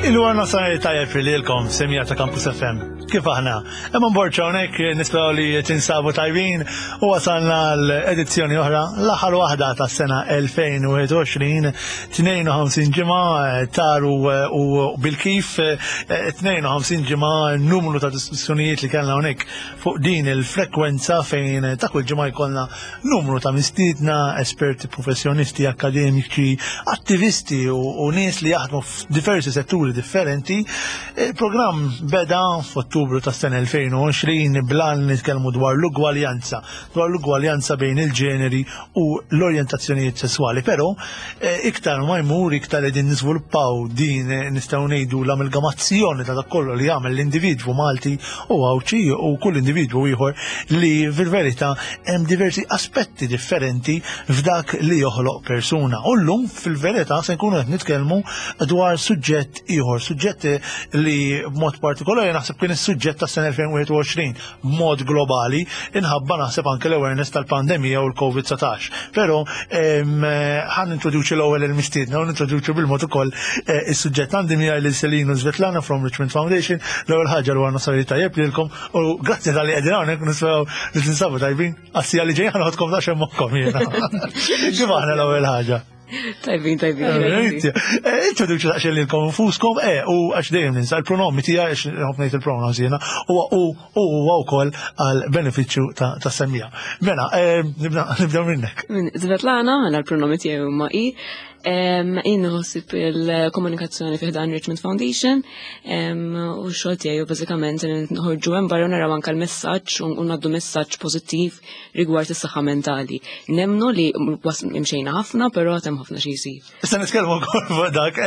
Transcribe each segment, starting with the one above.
Il-għarna sajr tajjeb lilkom semija ta' Campus FM. Kif aħna? Imma mborċa hawnhekk nisperaw li tinsabu tajbin u wasalna l-edizzjoni oħra l-aħħar waħda tas-sena 2021, 52 ġimgħa eh, taru eh, u bil-kif 52 eh, ġimgħa numru ta' diskussjonijiet li kellna hawnhekk fuq din il-frekwenza fejn ta' kull ġimgħa jkollna numru ta' mistiedna, esperti professjonisti, akademiċi, attivisti u, u nies li jaħdmu f'diversi setturi differenti. Il-programm beda f'Ottubru tas-sena 2020 blan nitkellmu dwar l-ugwaljanza, dwar l-ugwaljanza bejn il-ġeneri u l-orjentazzjonijiet sesswali. Però eh, iktar ma jmur iktar qegħdin niżviluppaw din eh, nistgħu ngħidu l-amalgamazzjoni ta' dak kollu li jagħmel l-individwu Malti u Għawdxi u kull individwu ieħor li fil-verità hemm diversi aspetti differenti f'dak li joħloq persuna. U llum fil-verità se nkunu qed nitkellmu dwar suġġett ieħor, suġġett li b'mod partikolari naħseb kien is-suġġett tas-sena 2021 b'mod globali inħabba naħseb anke l-awareness tal-pandemija u l-COVID-19. Però ħan introduċi l-ewwel il-mistiedna u nintroduċi bil-mod ukoll eh, is-suġġett għandi miegħi lil Selinu Svetlana from Richmond Foundation. L-ewwel ħaġa li għandna sari tajjeb lilkom u grazzi tal-li qegħdin hawnhekk nispew li tinsabu tajbin. Għassija li ġejja ħanħodkom daqsxejn moħħkom jiena. Kif aħna l-ewwel ħaġa? Tajbin, tajbin. Eh, introduċi daqsxejn lilkom infuskom, eh, u għax dejjem ninsa l-pronomi tiegħi għax nħobb ngħid il-pronouns jiena, u u huwa wkoll għal benefiċċju ta' semmija. Mela, eh, nibda minnek. Svetlana, mela l-pronomi tiegħi huma i. Jien nħossib il-komunikazzjoni fi ħdan Richmond Foundation u x-xogħol tiegħi bażikament nħorġu hemm barra naraw anke l-messaġġ u ngħaddu messaġġ pożittiv rigward is-saħħa mentali. Nemnu li imxejna ħafna, però hemm ħafna xi jsir. Issa nitkellmu wkoll fuq dak,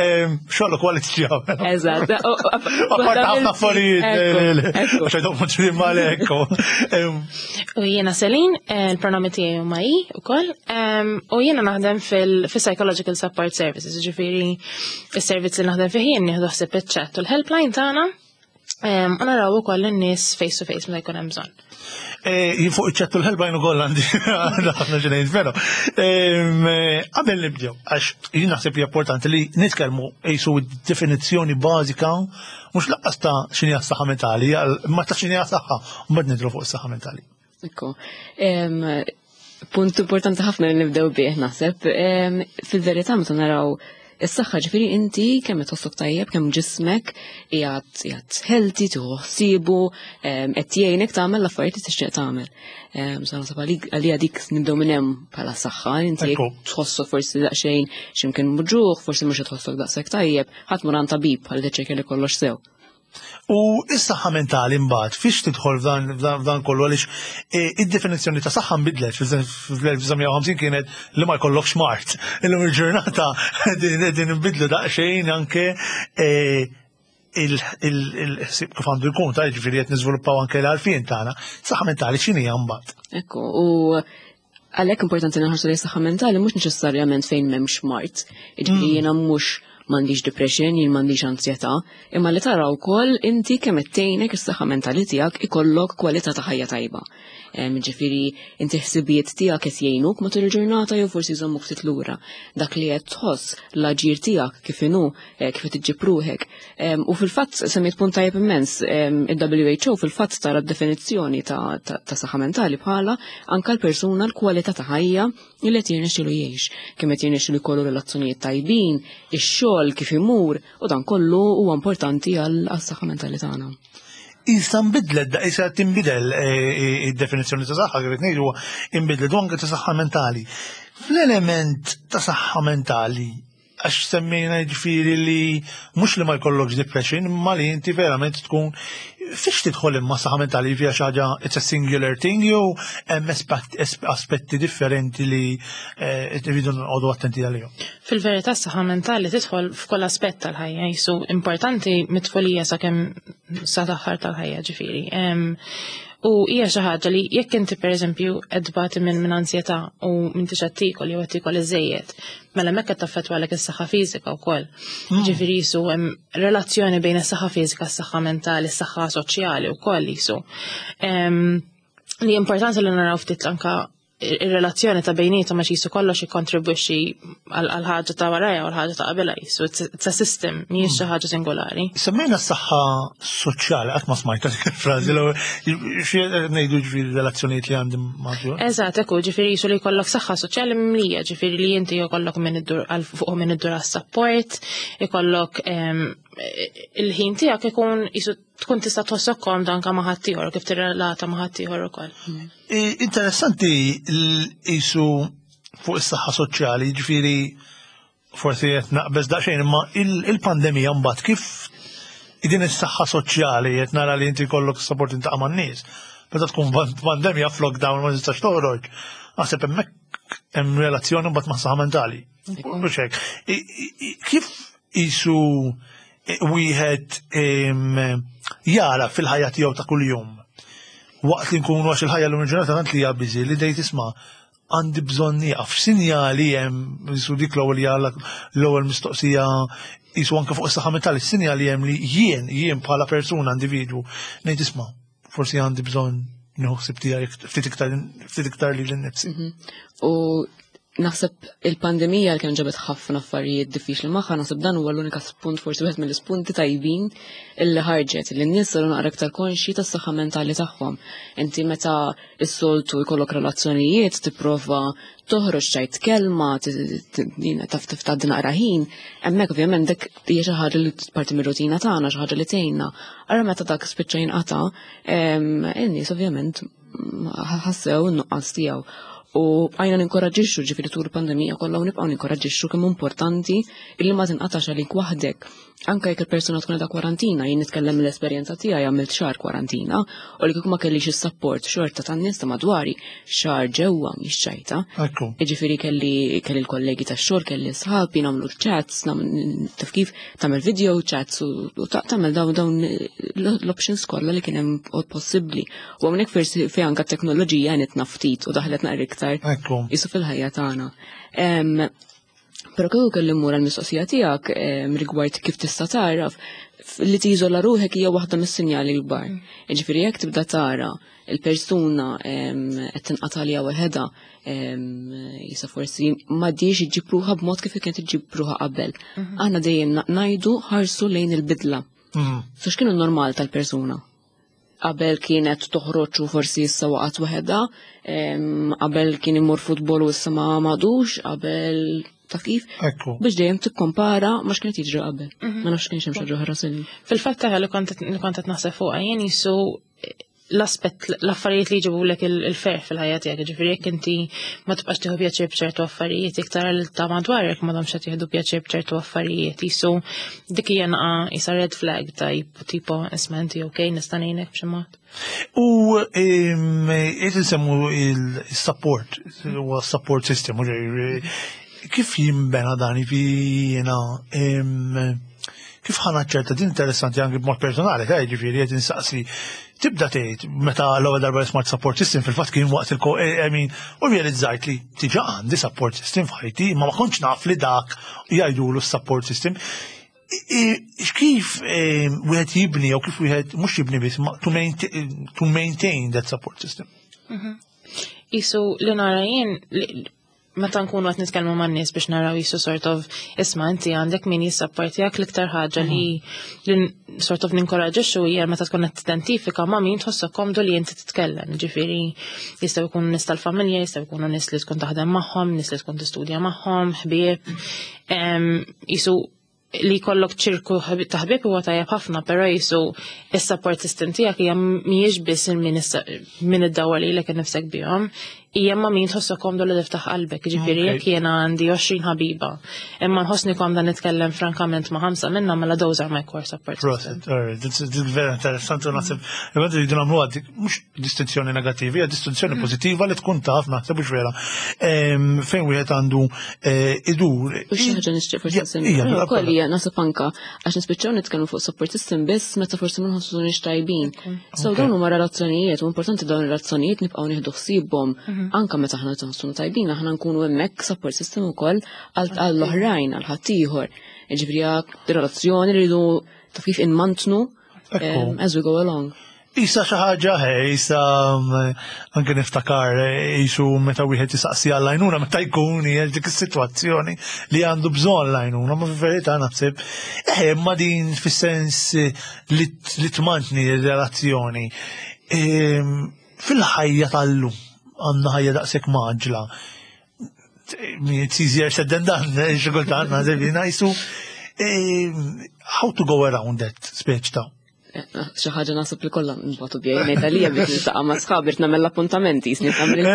xogħol ukoll tixjagħmel. Eżatt. Apart ħafna affarijiet. Għax għadhom mhux malek. U jiena Selin, eh, il-pronomi tiegħi huma i ukoll, u jiena naħdem fil-Psychological Support Services, ġifieri is-servizz li naħdem fih jien nieħdu ħsieb iċ-chat u l-helpline tagħna u naraw ukoll in-nies face to face meta jkun hemm bżonn. Eh, jien fuq iċ-chat u l-helpline ukoll għandi ħafna ġenejn, però. Eh, qabel nibdew, għax jien naħseb hija importanti li nitkellmu qisu definizzjoni bażika mhux laqqas ta' x'inhi s-saħħa mentali, ma ta' x'inhi saħħa, mbagħad nidru fuq is-saħħa mentali. Ekku. Punt importanti ħafna li nibdew bih naħseb. Fil-verità meta naraw is-saħħa ġifieri inti kemm qed tħossok tajjeb, kemm ġismek qiegħed qiegħed healthy, tieħu ħsiebu, qed jgħinek tagħmel l-affarijiet li tixtieq tagħmel. So naħseb għalija dik nibdew minn hemm bħala saħħa, inti tħossok forsi daqsxejn x'imkien muġuħ, forsi mhux qed tħossok daqshekk tajjeb, ħadd mur għand tabib ħalli tiċċekkja li kollox sew. U is-saħħa mentali mbagħad fiex tidħol f'dan kollu għaliex e, id-definizzjoni ta' saħħa nbidlet fl-1950 kienet li ma jkollokx mart. Illum il-ġurnata din nbidlu daqsxejn anke e, il-ħsieb kif għandu jkun ta' ġifieri qed niżviluppaw anke l-għarfien tagħna. Saħħa mentali x'inhi mbagħad? Ekku, u Għalhekk importanti nħarsu li saħħa mentali mhux neċessarjament fejn m'hemmx mart. Jiġifieri mm. jiena mhux m'għandix depression, jien m'għandix ansjetà, imma li tara wkoll inti kemm qed tgħinek is-saħħa mentali tiegħek ikollok kwalità ta' ħajja tajba. Ġifieri inti ħsibijiet tiegħek qed jgħinuk matul il-ġurnata jew forsi jżommuk ftit lura. Dak li qed tħoss l-aġir tiegħek kif inhu, eh, kif qed iġġib ruħek. U fil-fatt semmiet punt tajjeb immens, il-WHO fil-fatt tara d-definizzjoni ta' saħħa mentali bħala anka l-persuna l-kwalità ta' ħajja li qed jirnexxielu jgħix, kemm qed jirnexxielu jkollu relazzjonijiet tajbin, ix-xogħol kif imur, u dan kollu huwa importanti għas-saħħa mentali tagħna. Issa nbidlet, da issa tinbidel eh, eh, id-definizzjoni ta' saħħa kif ngħidu inbidlet u anke ta' saħħa mentali. Fl-element ta' saħħa mentali għax semmejna ġifiri li mhux li ma jkollokx depression, imma li inti verament tkun Fiex tidħol imma saħħa mentali hija xi ħaġa it's a singular thing jew hemm aspetti differenti li eh, rridu nqogħdu attenti għalihom? Fil-verità s-saħħa mentali tidħol f'kull aspett tal-ħajja, jisu importanti mit-tfulija sakemm sa l-aħħar tal-ħajja ġifieri. U hija xi ħaġa li jekk inti pereżempju qed tbati minn minn ansjetà u m'intix qed tiekol jew qed tiekol iżejjed, mela hemmhekk qed taffettwalek is-saħħa fiżika wkoll. Ġifieri jisu hemm relazzjoni bejn is-saħħa fiżika, s-saħħa mentali, s-saħħa soċjali wkoll jisu. Li importanti li naraw ftit anka ir-relazzjoni ta' bejnietom għax jisu kollox jikkontribwixxi għal ħaġa ta' warajja u l-ħaġa ta' qabilha jisu it's a system mhijiex xi ħaġa singolari. Semmejna s-saħħa soċjali qatt ma smajta dik il-frażi l xi ngħidu ġifieri relazzjonijiet li għandi ma' Eżatt, ekku ġifieri jisu li jkollok saħħa soċjali mimlija, ġifieri li inti jkollok minn iddur għal fuq minn iddur għas-sapport, ikollok il-ħin tiegħek ikun jisu tkun tista' tħossok komda anke ma' ħaddieħor kif tirrelata ma' ħaddieħor ukoll. Interessanti jisu fuq is-saħħa soċjali, ġifieri forsi qed naqbeż daqsxejn, imma il-pandemija mbagħad kif din is-saħħa soċjali qed nara li inti jkollok support intaqa' man-nies. Meta tkun pandemija f'lockdown ma tistax toħroġ. Naħseb hemmhekk hemm relazzjoni mbagħad ma' saħħa mentali. Mhux hekk. Kif isu wieħed jara fil-ħajja tiegħu ta' kuljum waqt li nkunu għax il-ħajja l-lum il-ġurnata tant li hija biżi li dejt isma' għandi bżonn nieqaf. X'sinjali hemm jisu dik l-ewwel hija l-ewwel mistoqsija jisu anke fuq is-saħħa mentali, x'sinjali hemm li jien jien bħala persuna individwu ngħid isma' forsi għandi bżonn nieħu ħsieb tiegħi ftit iktar ftit iktar lili nnifsi. U naħseb il-pandemija li kien ġabet ħafna affarijiet diffiċli magħha, naħseb dan huwa l-unika spunt forsi wieħed mill-ispunti tajbin illi ħarġet li n-nies saru naqra iktar konxji tas-saħħa mentali tagħhom. Inti meta s-soltu jkollok relazzjonijiet tipprova toħroġ ċajt kelma, taf tgħaddi naqra ħin, hemmhekk ovvjament dik hija xi ħaġa li parti mir-rutina tagħna, xi ħaġa li tgħinna. Ara meta dak spiċċa jinqata', in-nies ovvjament ħassew in-nuqqas tiegħu. U bqajna ninkoraġġixxu ġifieri tul il-pandemija kollha u nibqgħu ninkoraġġixxu kemm importanti illi ma tinqatax għalik waħdek. Anke jekk il-persuna tkun qiegħda kwarantina, jien nitkellem mill-esperjenza tiegħi għamilt xahar kwarantina u li kieku ma kellix is-sapport xorta tan-nies ta' madwari xahar ġewwa mhix ċajta. Jiġifieri kelli kelli l-kollegi tax-xogħol, kelli sħabi nagħmlu chats, taf kif tagħmel video chats u tagħmel dawn dawn l-options kollha li kien hemm possibbli. U hawnhekk forsi fejn anke t-teknoloġija għenitna ftit u daħlet naqra iktar jisu fil-ħajja tagħna. Però kieku kelli mmur għall-mistoqsija tiegħek rigward kif tista' tagħraf li tiżola ruħek hija waħda mis-sinjali l-kbar. Jiġifieri jekk tibda tara il-persuna qed tinqata' għaliha waħedha jisa forsi m'għadhiex iġġib ruħha b'mod kif kienet iġġib ruħha qabel. Aħna dejjem ngħidu ħarsu lejn il-bidla. So x'kienu normal tal-persuna? Qabel kienet toħroġ u forsi issa waqgħet waħedha, qabel kien imur futbol u issa ma m'għadux, qabel taf kif? Ekku. Biex dejjem tikkompara ma x'kienet jiġri qabel. Ma nafx kienx hemm xi ħaġa oħra Selin. Fil-fatt taħ li kont li kont qed naħseb fuqha jien jisu l-aspett l-affarijiet li jġibulek il-ferħ fil-ħajja tiegħek, ġifieri jekk inti ma tibqax tieħu pjaċir b'ċertu affarijiet, iktar li ta' madwarek m'għadhomx qed jieħdu pjaċir b'ċertu affarijiet, jisu dik hija naqa' jisa red flag ta' tipo isma' inti ok nista' ngħinek b'xi mod. U qed insemmu il-support, huwa support system, kif jinbena dan jiena kif ħa naċċerta din interessanti anki b'mod personali, ta' ġifieri qed insaqsi tibda tgħid meta l-ewwel darba smart support system fil-fatt kien waqt il I mean, u realizzajt li diġà għandi support system f'ħajti, ma ma kontx naf li dak jgħidulu s-support system. Kif wieħed jibni jew kif wieħed mhux jibni biss to maintain that support system? Isu li nara jien meta nkunu qed nitkellmu man-nies biex naraw jisu sort of isma' inti għandek min jissapportjak l-iktar ħaġa li li sort of ninkoraġixxu hija meta tkun qed tidentifika ma' min tħossok komdu li inti titkellem. Ġifieri jistgħu jkunu nies tal-familja, jistgħu jkunu nies li tkun taħdem magħhom, nies li tkun tistudja magħhom, ħbieb. Jisu li jkollok ċirku ta' ħbieb huwa tajjeb ħafna, però jisu is-support system tiegħek hija mhijiex biss min iddawwar lilek innifsek bihom. Hija ma' min tħossok komdu li tiftaħ qalbek, ġifieri jekk jiena għandi 20 ħabiba, imma nħossni komda nitkellem frankament ma' ħamsa minnhom, mela those are my core support system. Proset, dik vera interessanti u naħseb li rridu nagħmlu dik mhux distinzjoni negattiva, hija distinzjoni pożittiva li tkun taf naħseb mhux vera. Fejn wieħed għandu idur. U xi ħaġa nixtieq forsi nsemmi. Ukoll hija naħseb anka għax nispiċċaw nitkellmu fuq support system biss meta forsi ma nħossunix tajbin. So dawn huma relazzjonijiet u importanti dawn ir-relazzjonijiet nibqgħu nieħdu ħsiebhom anka meta aħna nħossuna tajbin, aħna nkunu hemmhekk support system ukoll għall-oħrajn, għal ħaddieħor. Jiġifieri relazzjoni li rridu taf kif inmantnu as we go along. Isa xi ħaġa, isa anke niftakar isu meta wieħed jisaqsi għall-għajnuna meta jkun hija dik is-sitwazzjoni li għandu bżonn l-għajnuna, ma fil-verità naħseb ma din fis-sens li tmantni r-relazzjoni. Fil-ħajja tal-lum għandna ħajja daqshekk maġla. It's easier said than done, xi kultant naħseb jiena jisu how to go around that speċ ta' Xi ħaġa naħseb li kollha nbatu bija ngħid għalija biex niltaqa' ma' sħabi rid nagħmel l-appuntamenti jisni tagħmel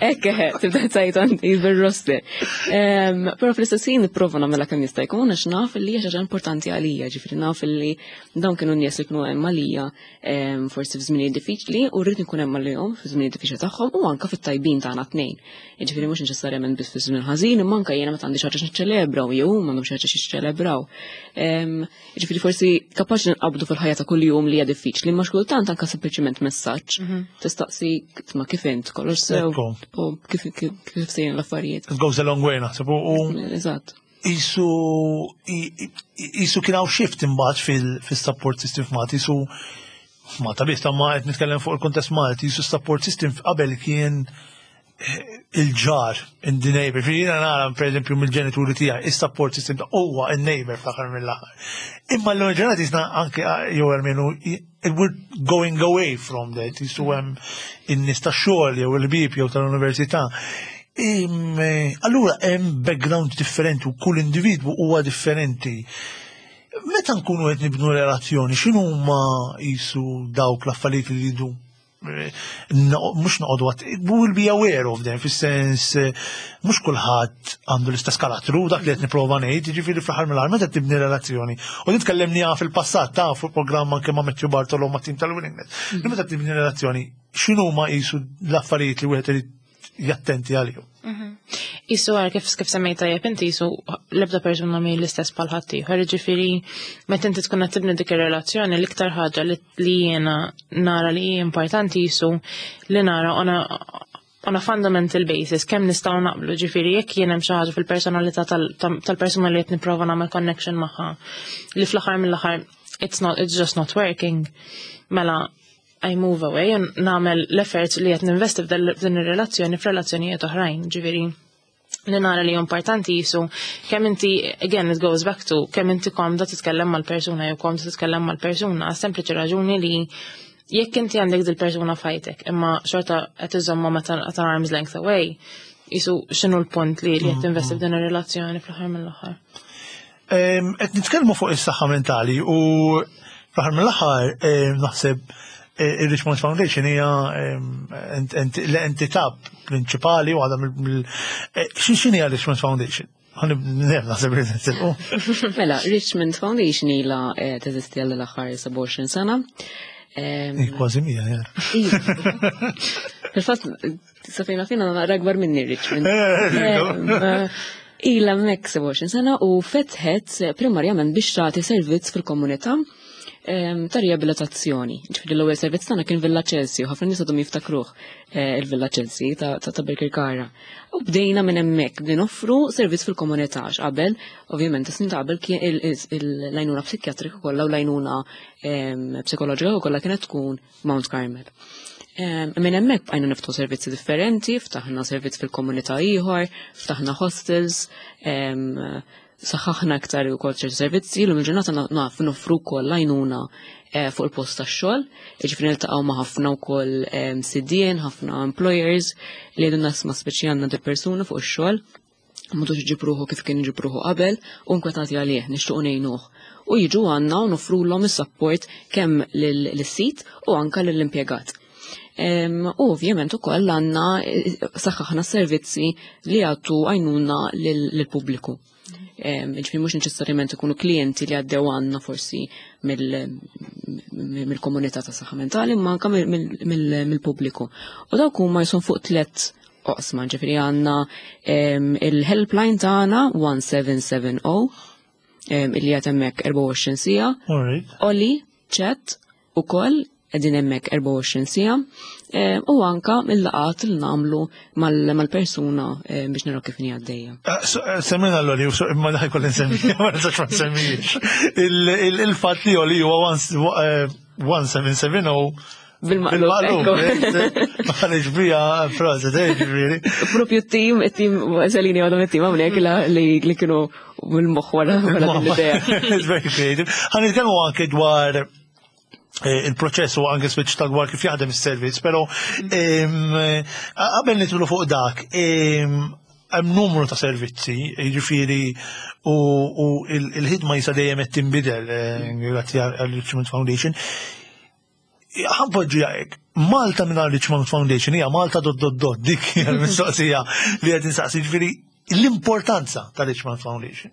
Ekk eħe, tibda tajt għandi bil-roster. Però fl-istess ħin nipprova nagħmilha kemm jista' jkun għax naf li hija xi ħaġa importanti għalija, ġifieri naf li dawn kienu nies li kienu hemm għalija forsi f'żminijiet diffiċli u rrid nkun hemm għalihom f'żminijiet diffiċli tagħhom u anke fit-tajbin tagħna tnejn. Jiġifieri mhux neċessarjament biss fi żmien ħażin, imma anke jiena meta għandi xi ħaġa niċċelebra u jew huma għandhom xi ħaġa jiċċelebraw. Jiġifieri forsi kapaċi nqabdu fil-ħajja ta' kuljum li hija diffiċli, imma xkultant anke sempliċiment messaġġ tistaqsi ma kif int kollox sew u kif kif sejrin l-affarijiet. It goes a long way naħseb u Eżatt. Isu kien hawn shift imbagħad fil-support system f'Malta, isu Malta biss, ma qed nitkellem fuq il-kuntest Malti, isu support system qabel kien il-ġar, in the neighbor. Jiena nara, per eżempju, mill-ġenituri tiegħi, is-support system ta' huwa il-neighbor fl-aħħar mill-aħħar. Imma l-lum ġurnata jisna anke jew almenu we're going away from that, jisu hemm in-nies tax-xogħol jew il-bib jew tal-università. Allura hemm background differenti u kull individwu huwa differenti. Meta nkunu qed nibnu relazzjoni, x'inhu huma jisu dawk l-affarijiet li jridu mhux noqogħdu għat, we will be aware of them, fis-sens mhux kulħadd għandu l-istess karattru, dak li qed nipprova ngħid, jiġifieri fl-aħħar mill-aħħar meta tibni relazzjoni. U din tkellimniha fil-passat ta' fuq programm anke ma' Matthew Bartolo ma' tim tal-Willingness. Li meta tibni relazzjoni, x'inhu ma qisu l-affarijiet li wieħed irid jattenti għalihom. Isu għar kif semmejta tajjeb inti jisu l-ebda persuna mi l-istess bħal ħaddieħor, ġifieri meta inti tkun qed tibni dik ir-relazzjoni l-iktar ħaġa li jiena nara li hija importanti jisu li nara on a fundamental basis kemm nistgħu naqblu, ġifieri jekk jien hemm xi ħaġa fil-personalità tal-persuna li qed nipprova nagħmel connection magħha li fl-aħħar mill-aħħar it's just not working, mela I move away u nagħmel l-effort li qed ninvesti f'din ir-relazzjoni f'relazzjonijiet oħrajn, ġifieri li nara li importanti jisu kemm inti, again it goes back to kemm inti komda titkellem mal-persuna jew komda titkellem mal-persuna, sempliċi raġuni li jekk inti għandek dil-persuna f'ħajtek, imma xorta qed iżomma meta at arm's length away, jisu x'inhu l-punt li qed tinvesti f'din ir-relazzjoni fl-aħħar mill-aħħar. Qed nitkellmu fuq is-saħħa mentali u fl-aħħar mill-aħħar naħseb il-Richmond Foundation hija l-entità prinċipali u għadha mill x'inhi Richmond Foundation? Naħseb li nitilqu. Mela, Richmond Foundation ilha teżisti għal l-aħħar 27 sena. Kważi mija, ja. Fil-fatt, safejna fina naqra akbar minni Richmond. Ilha hemmhekk 27 sena u fetħet primarjament biex tagħti servizz fil-komunità ta' riabilitazzjoni. Ġifieri l-ewwel servizz tagħna kien Villa Chelsea u ħafna nies għadhom jiftakruh il-Villa Chelsea ta' Birkirkara. U bdejna minn hemmhekk bdejna noffru servizz fil-komunità għax qabel, ovvjament, is-snin ta' qabel kien l-għajnuna psikjatrika kollha u l-għajnuna psikoloġika kollha kienet tkun Mount Carmel. Minn hemmhekk bqajna niftħu servizzi differenti, ftaħna servizz fil-komunità ieħor, ftaħna hostels, saħħaħna aktar ukoll ċerti servizzi, l il-ġurnata naf noffru wkoll għajnuna fuq il-post tax-xogħol, jiġifieri niltaqgħu ma' ħafna wkoll sidien, ħafna employers li jgħidu nasma speċi għandna dil persuna fuq ix-xogħol, m'għadux iġib ruħu kif kien iġib ruħu qabel, u nkwetati għalih, nixtiequ ngħinuh. U jiġu għandna u noffrulhom is-support kemm lis-sit u anke lill-impjegat. U ovvjament ukoll għandna eh, saħħaħna servizzi li jagħtu għajnuna lill-pubbliku. Ġifieri mhux neċessarjament ikunu klijenti li għaddew għandna forsi mill-komunità ta' saħħa mentali, imma anke mill-pubbliku. U dawk huma jisum fuq tliet oqsma, ġifieri għandna il-helpline tagħna 1770 illi qed hemmhekk 24 siegħa. Oli, chat ukoll qegħdin hemmhekk 24 siegħa u anka il-laqat li nagħmlu mal-persuna biex naraw kif inhi għaddejja. Eh, eh, semmina l-oli, imma daħi kolli nsemmi, ma nistax ma nsemmijiex. Il-fatt li oli huwa 1770 Bil-maqlub. Għalix bija, fraza, ġifieri. Propju t-tim, it-tim, Selini għadhom it-tim għamnek li kienu mill-moħħ wara l-idea. It's very creative. Għan nitkellmu anke dwar eh, il-proċess u anke switch ta' dwar kif jaħdem is-servizz, però eh, qabel nitlu fuq dak, hemm numru ta' servizzi, jiġifieri u il-ħidma jisa dejjem qed tinbidel eh, grazzi għall-Richmond Foundation. Ħanpoġġi hekk, Malta minn Richmond Foundation hija Malta dot dot dot dik hija l-mistoqsija li qed insaqsi ġifieri l-importanza ta' Richmond Foundation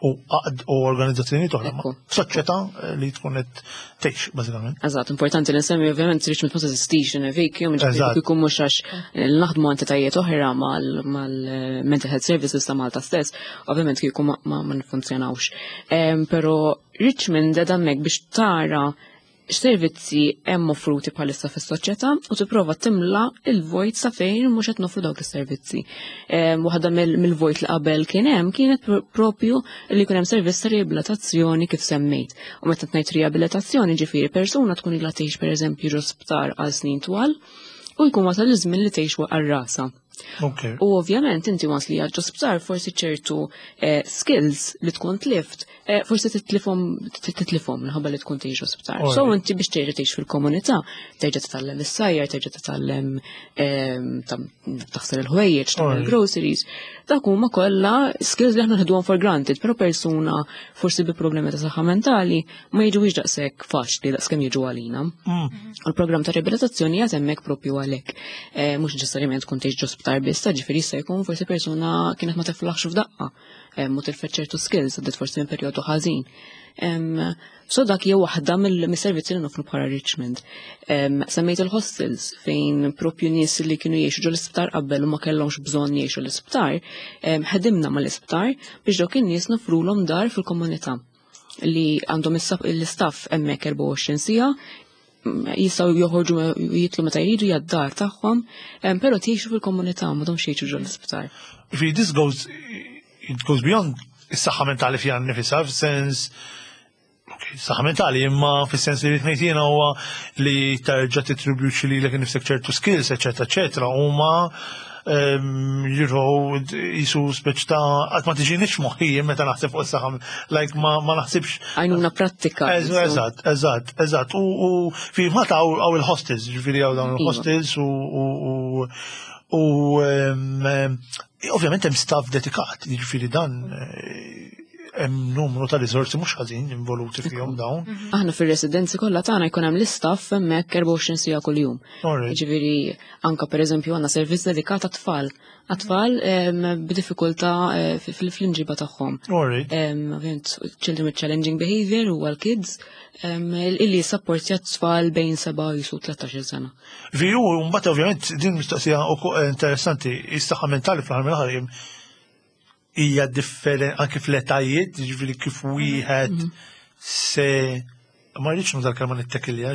u u organizzazzjoni oħra f'soċjetà eh, li tkun qed tgħix bażikament. Eżatt, importanti li nsemmi ovvjament Richmond ma teżistix in a vacuum, ġifieri jkun mhux għax naħdmu entitajiet oħra mal-mental health services ta' Malta stess, ovvjament kieku ma nfunzjonawx. Però Richmond qed hemmhekk biex tara x'servizzi hemm offruti bħalissa fis-soċjetà u tipprova timla il-vojt sa fejn mhux qed noffru dawk is-servizzi. Waħda mill-vojt li qabel kien hemm kienet propju li jkun hemm servizz ta' riabilitazzjoni kif semmejt. U meta ngħid riabilitazzjoni ġifieri persuna tkun ilha tgħix pereżempju ġo sptar għal snin twal u jkun wasal iż-żmien li tgħix għal rasha. Okay. U ovvjament inti once li għadġu sptar forsi ċertu eh, skills li tkun tlift, eh, forsi titlifhom titlifhom minħabba li tkun tgħix sptar. So inti biex terġa' tgħix fil-komunità, terġa' titgħallem is-sajjar, terġa' titgħallem ehm, taħsel il-ħwejjeġ, tagħmel groceries. Dak huma kollha skills li aħna nħeduhom for granted, però persuna forsi bi problemi ta' saħħa mentali ma jiġux daqshekk faċli daqskemm jiġu għalina. Mm. U l-programm ta' riabilitazzjoni jgħat hemmhekk propju għalhekk. Eh, mhux neċessarjament tkun tgħix ġo sptar biss, ta' ġifieri jista' jkun forsi persuna kienet ma tiflaħx f'daqqa, eh, mu tilfet ċertu skills, għaddiet forsi minn perjodu ħażin. So dak hija waħda mill-servizzi li nofru bħala Richmond. Semmejt il-hostels fejn propju nies li kienu jgħixu ġo l-isptar qabel u ma kellhomx bżonn jgħixu l-isptar, ħedimna mal-isptar biex dawk in-nies nofrulhom dar fil-komunità li għandhom l-istaff hemmhekk 24 siegħa jistgħu joħorġu jitlu meta jridu jad-dar tagħhom, però tgħixu fil-komunità m'għadhomx jgħixu ġol l-isptar. Fi this goes it goes beyond is-saħħa mentali fiha nnifisha f'sens saħħa mentali imma fis-sens li rrid ngħid jiena huwa li terġa' titribwixxi lilek innifsek ċertu skills, eċetera, eċetera, huma jirrow jisu speċ ta' għat ma tiġinix moħħi meta naħseb fuq saħam, like ma, ma naħsibx. Għajnuna prattika. Eżatt, eżatt, eżatt. U fi Malta għaw il-hostels, ġifiri għaw dawn iva. il-hostels u u ovvjament hemm staff dedikat, ġifiri dan eh, hemm numru ta' riżorsi mhux ħażin involuti fihom dawn. Mhm. Aħna fir-residenzi kollha tagħna jkun hemm l-istaff hemmhekk 24 siegħa kuljum. Jiġifieri anka pereżempju għandna servizz dedikat għat-tfal. Għat-tfal b'diffikultà eh, fl-imġiba tagħhom. Ovvjament children with challenging behavior u għal-kids illi jissapportja t-tfal bejn 7 jisu 13 sena. Viju, mbagħad ovvjament din mistoqsija interessanti, is-saħħa mentali fl-aħħar mill-aħħar hija differenti anke fl-etajiet, jiġifieri kif wieħed mhm. se ma rridx nuża l-kelma nittekilja,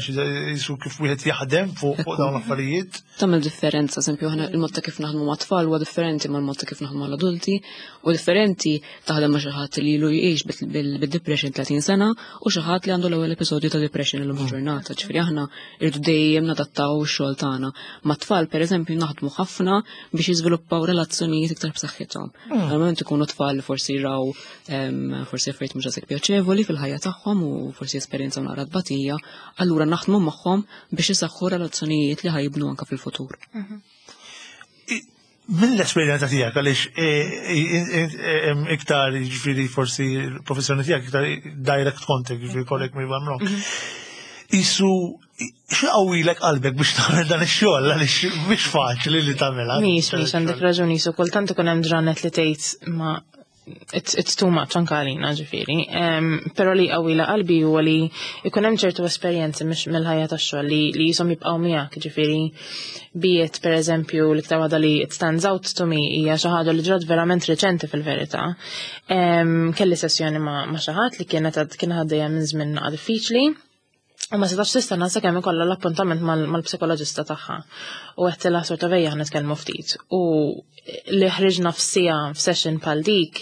jisu kif wieħed jaħdem fuq dawn l-affarijiet. Tagħmel differenza, eżempju aħna il-mod ta' kif naħdmu ma' tfal huwa differenti mal-mod ta' kif naħdmu mal-adulti, u differenti taħdem ma' xi ħadd li ilu jgħix bid-depression 30 sena u xi ħadd li għandu l-ewwel episodju ta' depression illum mm. ġurnata. Ġifieri aħna irdu dejjem nadattaw ix-xogħol tagħna. Ma' tfal pereżempju naħdmu ħafna biex jiżviluppaw relazzjonijiet iktar b'saħħithom. Mm. Normalment ikunu tfal li forsi raw forsi affarijiet mhux daqshekk pjaċevoli fil-ħajja tagħhom u forsi esperjenzaw naqra tbatija, allura naħdmu magħhom biex isaħħu relazzjonijiet li ħajibnu anke fil-futur. Mhm. Mill-esperjenza tiegħek għaliex e, e, e, iktar jiġifieri forsi l-professjoni tiegħek iktar direct contact, jiġifieri correct me if I'm wrong. Mhm. Isu x'qawwilek qalbek biex tagħmel dan ix-xogħol għaliex mhix faċli li tagħmilha. Mhix mhix għandek raġun isu kultant ikun hemm ġranet li tgħid ma it's, it's too much anka għalina ġifieri. Um, Però li qawwila qalbi huwa li ikun hemm ċertu esperjenzi mhix mill-ħajja tax-xogħol li li jisom jibqgħu miegħek ġifieri biet pereżempju l-iktar waħda li it stands out to me hija xi ħaġa li ġrat verament reċenti fil-verità. Um, kelli sessjoni ma', ma xi ħadd li kienet kien għaddejja minn żmien diffiċli. U ma setax tistenna sakemm ikollha l-appuntament mal-psikoloġista tagħha. U għedtilha sorta vejja nitkellmu ftit. U li ħriġna f'sija f'session bħal dik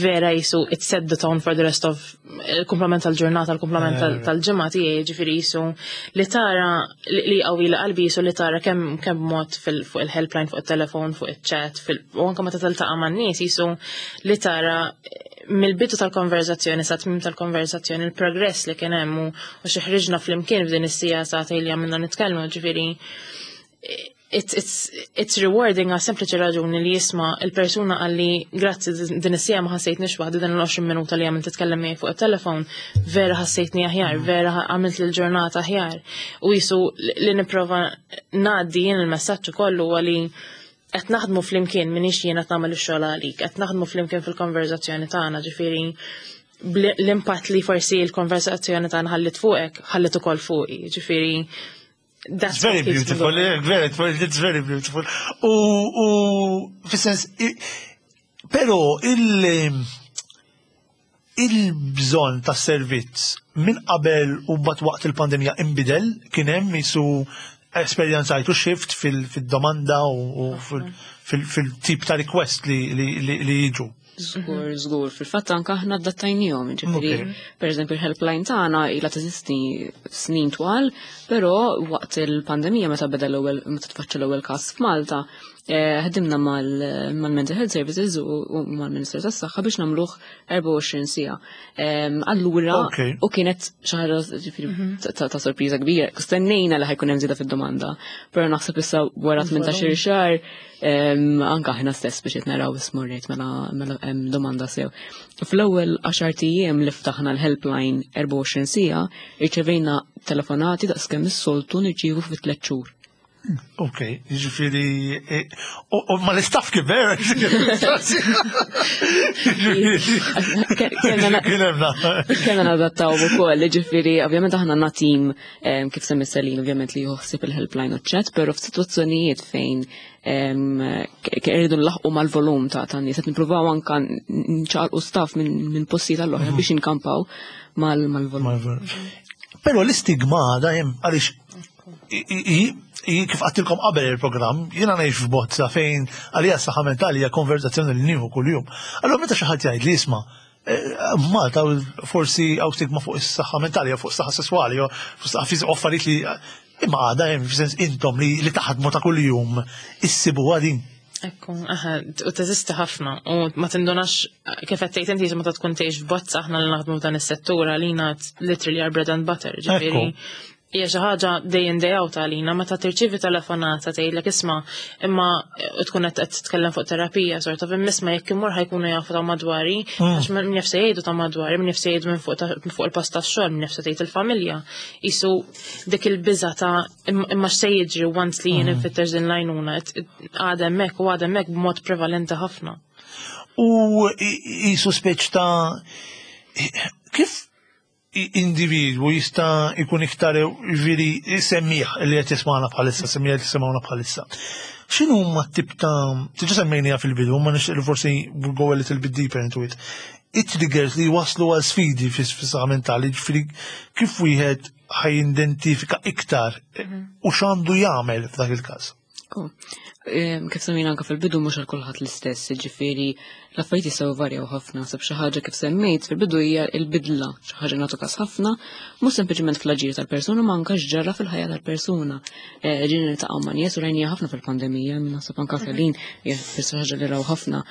vera jisu it set the tone for the rest of il-kumplament tal-ġurnata, il-kumplament eh. tal-ġimgħa tiegħi, ġifieri jisu li tara li qawwi li qalbi jisu li tara kemm kemm mod fuq il-helpline, fuq it-telefon, fuq iċ-chat, u anke meta tiltaqa' man-nies jisu li tara mill-bidu tal-konverzazzjoni sa tmim tal-konverzazzjoni il-progress li kien hemm u xi ħriġna flimkien f'din is-sija sagħtejn li għamilna nitkellmu, ġifieri it's, it's, it's rewarding għal sempliċi raġuni li jisma il-persuna għalli grazzi din is-sija ma ħassejtniex waħdi din l-20 minuta li għamilt titkellem miegħi fuq it-telefon, vera ħassejtni aħjar, mm. vera għamilt l-ġurnata aħjar. U jisu li nipprova ngħaddi jien il-messaġġ ukoll huwa li qed naħdmu flimkien minix jien qed nagħmel ix-xogħol għalik, qed naħdmu flimkien fil-konverzazzjoni tagħna, ġifieri l-impatt li forsi l-konverzazzjoni tagħna ħallit fuqek, ħallit ukoll fuqi, ġifieri That's very beautiful, very, it's very beautiful. U, u fis-sens, pero il- il-bżonn ta' servizz minn qabel u mbagħad waqt il-pandemija inbidel kien hemm jisu esperjenzajtu shift fil-domanda u fil-tip ta' request li jiġu. Żgur, żgur. Fil-fatt anke aħna adattajnihom, ġifieri, per eżempju il-helpline tagħna ilha teżisti snin twal, però waqt il-pandemija meta beda l-ewwel meta tfaċċa l-ewwel każ f'Malta, eh, ħdimna mal-Mental Health Services u mal-Ministeru tas-Saħħa biex nagħmluh 24 siegħa. Allura, u kienet xi ħaġa ġifieri mhm. ta' sorpriża kbira. Stennejna li ħajkun hemm żieda fid-domanda, però naħseb issa wara 18 xahar anka aħna stess biex qed naraw ismurrejt mela, mela hemm domanda sew. Fl-ewwel 10 ijiem li ftaħna l-helpline 24 siegħa, irċevejna telefonati daqskemm is-soltu nirċievu fi tliet xhur. Ok, ġifiri, e, u ma l-istaff kiber, Kena nadattaw u koll, ġifiri, ovvjament aħna għanna tim kif semmi Selin, ovvjament li juħsib il-helpline u chat, pero f'sitwazzjonijiet fejn irridu nlaħqu mal-volum ta' ta' nies, qed nippruvaw anka nċaqalqu staff minn postijiet għall-oħra biex inkampaw mal-volum. Pero l-istigma għada jem, għaliex kif għattilkom qabel il-programm, jiena ngħix f'bozza fejn għalija s-saħħa mentali hija konverzazzjoni li nieħu kuljum. Allura meta xi ħadd jgħid li jisma' eh, Malta forsi hawn stigma fuq is-saħħa mentali jew fuq is-saħħa sesswali jew fuq is-saħħa fiżika affarijiet li imma għadha hemm f'sens intom li li taħdmu ta' kuljum issibuha din. Ekku, aha, u teżisti ħafna u ma tindunax kif qed tgħid inti meta tkun tgħix f'bozza aħna li naħdmu f'dan is-settur għalina literally our bread and butter, ġifieri. Hija xi ħaġa day in day out għalina meta tirċievi telefonata tgħidlek isma' imma tkun qed titkellem fuq terapija sort of imma jekk imur ħajkunu jafu ta' madwari mm. għax min jaf se jgħidu ta' madwari, min jaf se jgħidu minn fuq il-post tax-xogħol, min jaf se tgħid il-familja. Isu dik il-biża ta' imma x'se jiġri once li jien mm. infittex din l-għajnuna għadha hemmhekk u għadha hemmhekk b'mod prevalenti ħafna. U jisu speċ ta' kif individwu jista' jkun iktar jiġifieri semmiħ li qed jismagħna bħalissa, semmiħ li jisimgħuna bħalissa. X'inhu huma t-tip ta' diġà semmejniha fil-bidu, ma nixtieq li forsi we'll go a little bit deeper into it. It-triggers li waslu għal sfidi fis-saħħa mentali, ġifieri kif wieħed ħaj-identifika iktar u x'għandu jagħmel f'dak il-każ. Kif semmejna anka fil-bidu mhux għal kulħadd l-istess, ġifieri l-affarijiet jistgħu varjaw ħafna, sab xi ħaġa kif semmejt fil-bidu hija l-bidla, xi ħaġa nagħtu każ ħafna, mhux sempliċement fl-aġir tal-persuna ma anke x'ġara fil-ħajja tal-persuna. Eh, ġieli niltaqgħu ma' nies u rajnija ħafna fil-pandemija, naħseb anke Felin hija xi ħaġa li raw ħafna.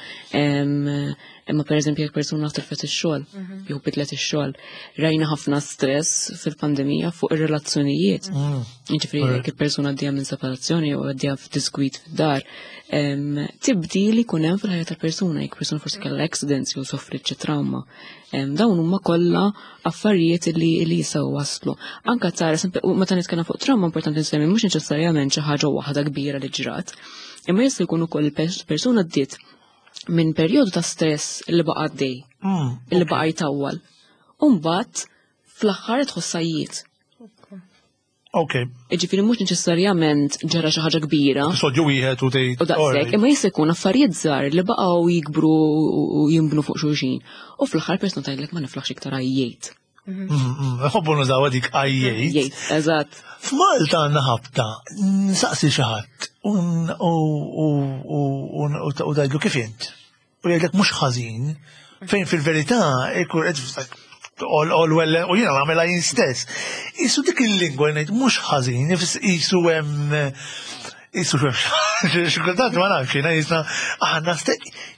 Imma pereżempju jekk persuna tilfet ix-xogħol, mhm. jew bidlet ix-xogħol, rajna ħafna stress fil-pandemija fuq ir-relazzjonijiet. Mm. Jiġifieri jekk il-persuna għaddejja minn separazzjoni jew għaddejja f'diskwit fid-dar, tibdil li jkun hemm fil-ħajja tal-persuna, jekk persuna forsi kellha accidents jew soffrit xi trauma. Dawn huma kollha affarijiet li li jistgħu waslu. Anka tara, meta nitkellem fuq trauma importanti nsemmi mhux neċessarjament xi ħaġa waħda kbira li ġrat, imma jista' jkun ukoll persuna ddiet minn perjodu ta' stress li baqa' għaddej, li baqa' jtawwal. U mbagħad fl-aħħar tħossajjiet. Ok. Ġifieri mhux neċessarjament ġara xi ħaġa kbira. Episodju wieħed u tgħid. U daqshekk, imma jista' jkun affarijiet żgħar li baqgħu jikbru u jinbnu fuq xulxin. U fl-aħħar persuna tgħidlek ma niflaħx iktar għajjejt. Ħobbu nużaw dik għajjejt. Jgħid, eżatt. F'Malta għandna ħabta, nsaqsi xi ħadd u tgħidlu kif int. U jgħidlek mhux ħażin, fejn fil-verità ikun qed all, all well, u jiena nagħmilha jien stess. Isu dik il-lingwa ngħid mhux ħażin, isu hemm isu xi kultant ma nafx jiena jisna aħna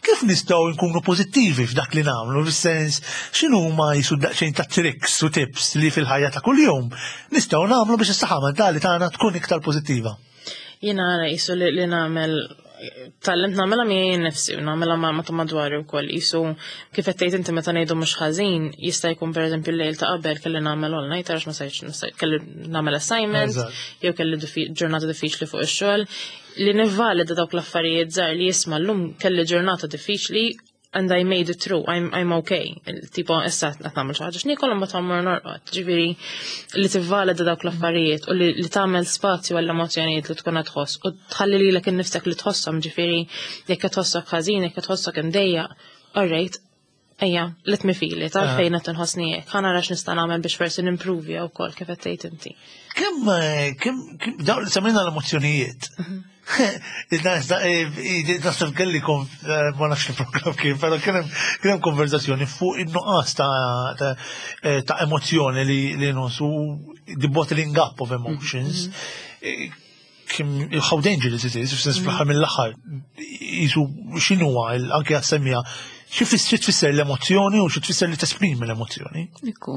kif nistgħu nkunu pożittivi f'dak li nagħmlu, fis-sens x'inhu ma jisu daqsxejn ta' tricks u tips li fil-ħajja ta' kuljum nistgħu nagħmlu biex is-saħħa mentali tagħna tkun iktar pożittiva. Jiena għara jisu li nagħmel tgħallimt nagħmilha miegħi nnifsi u nagħmilha ma' ta' madwari wkoll. Jisu kif qed tgħid inti meta ngħidu mhux ħażin, jista' jkun pereżempju l-lejl ta' qabel kelli nagħmel all night għax ma sajtx kelli nagħmel assignment jew kelli ġurnata diffiċli fuq ix-xogħol li nivvalida dawk l-affarijiet żgħar li jisma' llum kelli ġurnata diffiċli and I made it through, I'm okay. Tipo, issa qed nagħmel xi ħaġa x'niekol imbagħad mmur norqod. Ġifieri li tivvalida dawk l-affarijiet u li tagħmel spazju għall-emozzjonijiet li tkun qed tħoss u tħalli lilek innifsek li tħosshom, ġifieri jekk qed tħossok ħażin, jekk qed tħossok imdejjaq, alright, ejja, let me feel it, għalfejn qed inħossni hekk, ħa nara x'nista' nagħmel biex forsi nimprovja wkoll kif qed tgħid inti. Kemm dawn li semmejna l-emozzjonijiet. Naħseb kelli ma nafx il-program kien, però kien hemm konverzazzjoni fuq in-nuqqas ta' emozzjoni li nħossu, the bottling up of emotions. How dangerous it is, f'sens fl-aħħar mill-aħħar, jisu x'inhuwa anke għas-semmija, xi tfisser l-emozzjoni u xi tfisser li tesprimi l-emozzjoni. Ekku,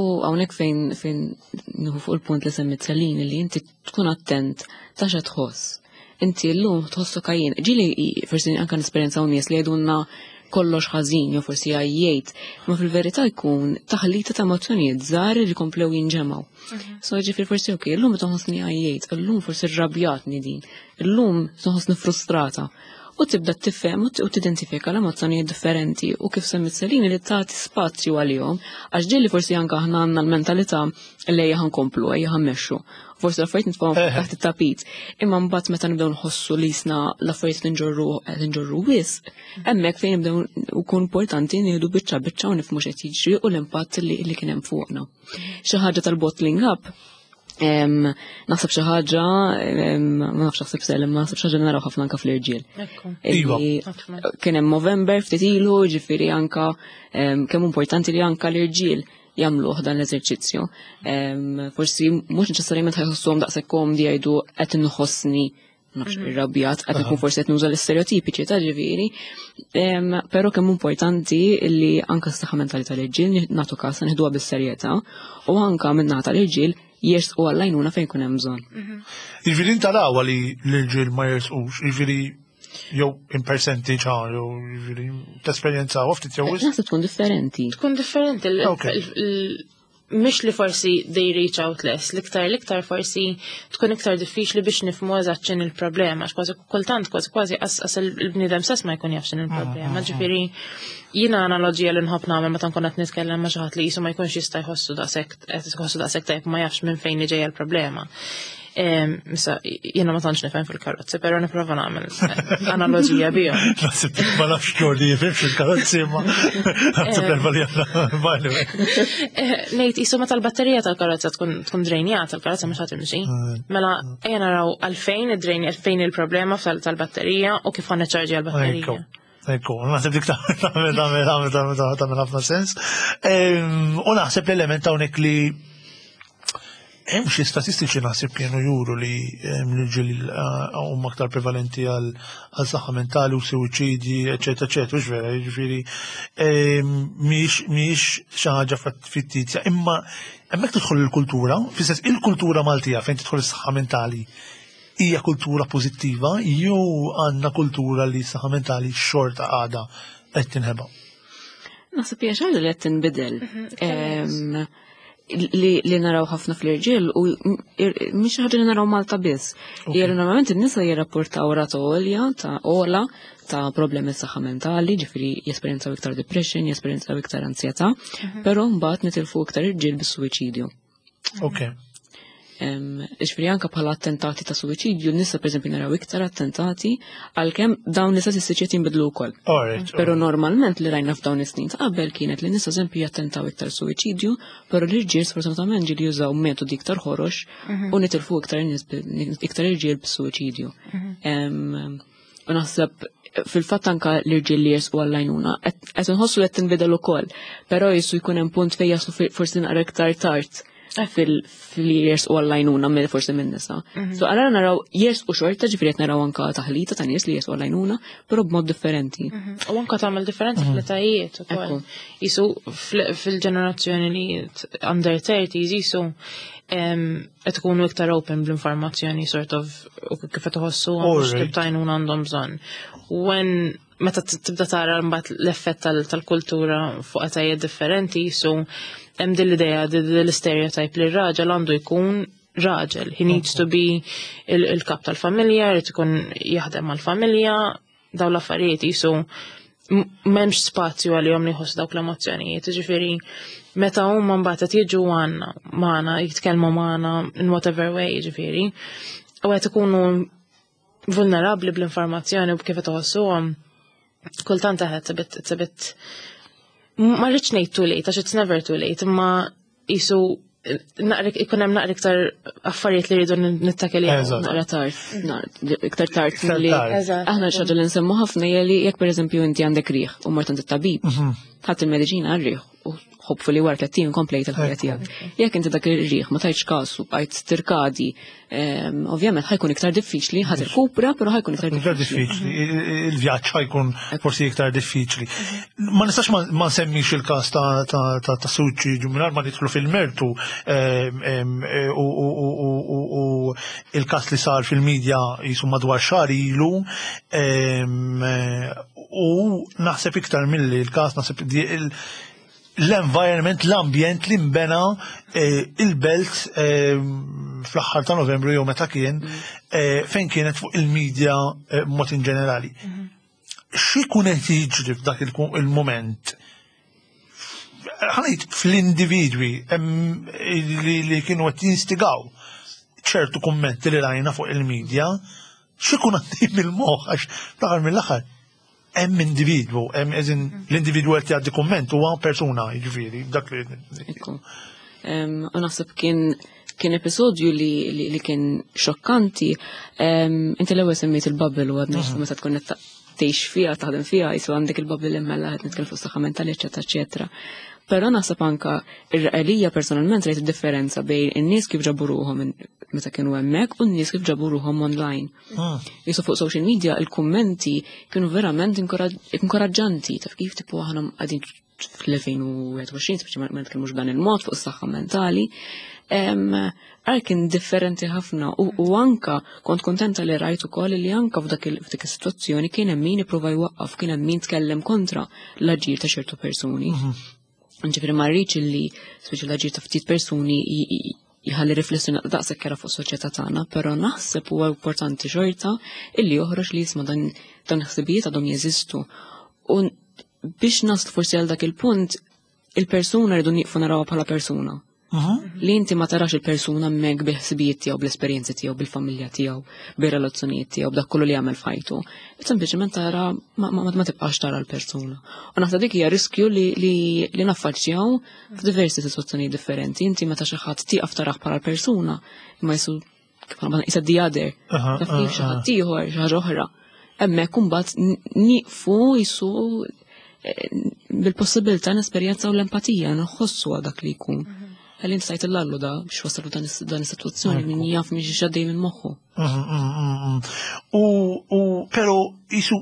u hawnhekk fejn nieħu fuq il-punt li semmit Celine li inti tkun attent ta' xa tħoss. Inti llum tħossok għajjien. Ġieli forsi anke nesperjenzaw nies li jgħidulna kollox ħażin jew forsi għajjejt, ma fil-verità jkun taħlita ta' emozzjonijiet żgħar li komplew jinġemgħu. So ġifieri forsi ok, illum tħossni għajjejt, illum forsi rrabjatni din, illum tħossni frustrata. U tibda tifhem u tidentifika l-emozzjonijiet differenti u kif semmit Celine li tagħti spazju għalihom, għax ġieli forsi anke aħna għandna l-mentalità li ejja ħankomplu, ejja ħammexxu. Forsi l-affarijiet nitfgħuhom taħt it-tapit. Imma mbagħad meta nibdew nħossu li jisna l-affarijiet li nġorru qed nġorru wisq, hemmhekk fejn nibdew ukun importanti nieħdu biċċa biċċa u nifhmu x'qed jiġri u l-impatt li kien hemm fuqna. Xi ħaġa tal-bottling up, naħseb xi ħaġa, ma nafx naħseb sellem, ma naħseb xi ħaġa naraw ħafna anka fl-irġiel. Kien hemm Movember ftit ilu, ġifieri anka kemm importanti li anka l-irġiel jagħmluh dan l-eżerċizzju. Forsi mhux neċessarjament ħajħossuhom daqshekk komdi jgħidu qed inħossni nafx irrabjat, qed nkun forsi qed nuża l-istereotipiċi ta' ġifieri. Però kemm importanti li anka s-saħħa mentali tal-irġiel nagħtu każ nieħduha bis-serjetà u anka min-naħa tal-irġiel jersqu għall-għajnuna fejn kun hemm bżonn. Jiġifieri inta rawa li l-irġiel ma jersqux, jiġifieri jew in percentage ħa, jew jiġifieri tesperjenza ftit jew wisq. Naħseb tkun differenti. Tkun differenti. Mhix li forsi they reach out less, l-iktar forsi tkun iktar diffiċli biex nifhmu eżatt x'inhi il-problema, għax kważi kultant kważi kważi qas il-bniedem stess ma jkun jaf x'inhi il-problema. Ġifieri jiena analogija li nħobb nagħmel meta nkun qed nitkellem ma' xi ħadd li qisu ma jkunx jista' jħossu daqshekk qed jħossu daqshekk tajjeb ma jafx minn fejn ġejja l-problema. Issa, jiena ma tantx nifhem fil-karozzi, però nipprova nagħmel analogija bihom. Naħseb ma nafx Jordi jifhem fil-karozzi, ma naħseb l-erba li għandna by Ngħid qisu meta l-batterija tal-karozza tkun drejnjata, l-karozza mhux ħa timxi. Mela ejja naraw għalfejn id-drejn, għalfejn il-problema tal-batterija u kif ħa niċċarġja l-batterija. Ekku, naħseb dik tagħmel tagħmel tagħmel tagħmel tagħmel ħafna sens. U naħseb l-element hawnhekk li hemm xi statistiċi naħseb kienu juru li l-irġiel huma aktar prevalenti għal saħħa mentali u suwiċidji, eċetera, eċetera, mhux vera, jiġifieri mhijiex xi ħaġa fittizja, imma hemmhekk tidħol il-kultura, fis-sens il-kultura Maltija fejn tidħol is-saħħa mentali. Hija kultura pożittiva jew għandna kultura li s-saħħa mentali xorta għadha qed tinħeba? Naħseb hija xi ħaġa li qed tinbidel. Li naraw ħafna fl-irġiel u mhix ħaġa li naraw Malta biss. Hija li normalment in-nisa jirrapportaw rata għolja ta' ola ta' problemi saħħa mentali, ġifieri jesperjenzaw iktar depression, jesperjenzaw iktar ansjetà, però mbagħad nitilfu iktar irġiel bis-suwiċidju. Ġifieri anka bħala attentati ta' suwiċidju, nisa pereżempju naraw iktar attentati, għalkemm dawn l-istatistiċi qed jinbidlu wkoll. Però normalment li rajna f'dawn is-snin ta' qabel kienet li nisa eżempju jattentaw iktar suwiċidju, però l-irġiel sfortunatament ġieli jużaw metodi iktar ħorox u nitilfu iktar nies iktar irġiel b'suwiċidju. U naħseb fil-fatt anka l-irġiel li jersqu għall-għajnuna, qed inħossu li qed tinbidel ukoll, però jisu jkun hemm punt fejn jaslu forsi naqra iktar tard fil-li jersqu għall-għajnuna mill forsi minn nisa. So għara naraw jersqu xorta, ġifieri qed naraw anka taħlita ta' nies li jersqu għall-għajnuna, però b'mod differenti. U anka tagħmel differenza fl-etajiet ukoll. Jisu fil-ġenerazzjoni li under 30s jisu qed ikunu iktar open bl-informazzjoni sort of u kif qed iħossu x'tip ta' għajnuna għandhom bżonn. When meta tibda tara mbagħad l-effett tal-kultura fuq etajiet differenti, jisu hemm din l-idea, din l-stereotype li r-raġel għandu jkun raġel. He needs to be il-kap tal-familja, jrid ikun jaħdem mal-familja, daw l-affarijiet jisu m'hemmx spazju għalihom li jħossu dawk l-emozzjonijiet. Ġifieri meta huma mbagħad qed jiġu għandna magħna, jitkellmu magħna in whatever way, ġifieri, u qed ikunu vulnerabbli bl-informazzjoni u b'kif qed iħossuhom, kultant eħed it's a bit, it's a bit ma rridx ngħid too late, għax it's never too late, imma jisu ikun hemm naqra iktar affarijiet li rridu nittakiljaw. Naqra tard, iktar tard Iktar milli tard. Aħna xi ħaġa li nsemmu ħafna hija li jekk pereżempju inti għandek riħ u mort għand it-tabib, ħadd il-mediċina għar-riħ u hopefully wara 30 jum komplejt il-ħajja tiegħek. Jekk inti dak ir-riħ ma tajtx kasu bqajt tirkadi, ovvjament ħa jkun iktar diffiċli, ħa tirkupra, però ħa jkun iktar Iktar diffiċli. diffiċli, il-vjaġġ ħa jkun forsi iktar diffiċli. Ma nistax ma nsemmix il-każ ta' suwiċidju mingħajr ma nidħlu fil-mertu, u il-każ li sar fil-medja jisu madwar xahar ilu, u naħseb iktar milli il-każ, naħseb l-environment, l-ambjent li nbena il-belt fl-aħħar ta' Novembru jew meta kien, fejn kienet fuq il-medja mod in ġenerali. X'ikun qed jiġri f'dak il-moment? Ħa ngħid fl-individwi li kienu qed jinstigaw ċertu kummenti li rajna fuq il-medja, x'ikun għaddej mill-moħħ, għax fl-aħħar mill-aħħar hemm individwu, hemm eżin l-individwu qed jgħaddi kumment huwa persuna, jiġifieri, dak li Ekku. U naħseb kien episodju li kien xokkanti. Inti l-ewwel semmejt il-bubble u għadna meta tkun qed tgħix fiha, taħdem fiha, jisu għandek il-bubble immella qed nitkellmu fuq saħħa mentali, eċetera, eċetera. Però naħseb anka ir-realija personalment rajt id-differenza bejn in-nies kif ġabu ruħhom meta kienu hemmhekk u n-nies kif ġabu ruħhom online. Jisu fuq social media il-kummenti kienu verament inkoraġġanti, taf kif tipo aħna qegħdin fl-2021, speċi ma nitkellmux b'dan il-mod fuq is-saħħa mentali. Għal kien differenti ħafna u anka kont kontenta li rajt ukoll li anka f'dik is-sitwazzjoni kien hemm min ipprova jwaqqaf, kien hemm min tkellem kontra l-aġir ta' ċertu persuni. Ġifieri ma rridx illi speċi l-aġir ta' ftit persuni jħalli riflessjoni daqshekk kera fuq soċjetà tagħna, però naħseb huwa importanti xorta illi joħroġ li jisma' dan ħsibijiet għadhom jeżistu. U biex naslu forsi għal dak il-punt, il-persuna rridu nieqfu narawha bħala persuna. Li inti ma tarax il-persuna hemmhekk bil-ħsibijiet tiegħu, bl-esperjenzi tiegħu, bil-familja tiegħu, bir-relazzjonijiet tiegħu, b'dak kollu li jagħmel f'ħajtu. Sempliċement tara ma tibqax tara l-persuna. U naħseb dik hija riskju li naffaċċjaw f'diversi sitwazzjonijiet differenti. Inti meta xi ħadd tieqaf tarah bħala l-persuna, imma jisu kif għamilna, jisa the other. Taf kif xi ħadd ieħor, xi ħaġa oħra. Hemmhekk imbagħad nieqfu jisu bil-possibilità nesperjenzaw l-empatija, nħossu għal dak li jkun. Għalli inti tajt l-allu da biex wasalu dan is-sitwazzjoni min jaf minn xi xaddej minn moħħu. U però jisu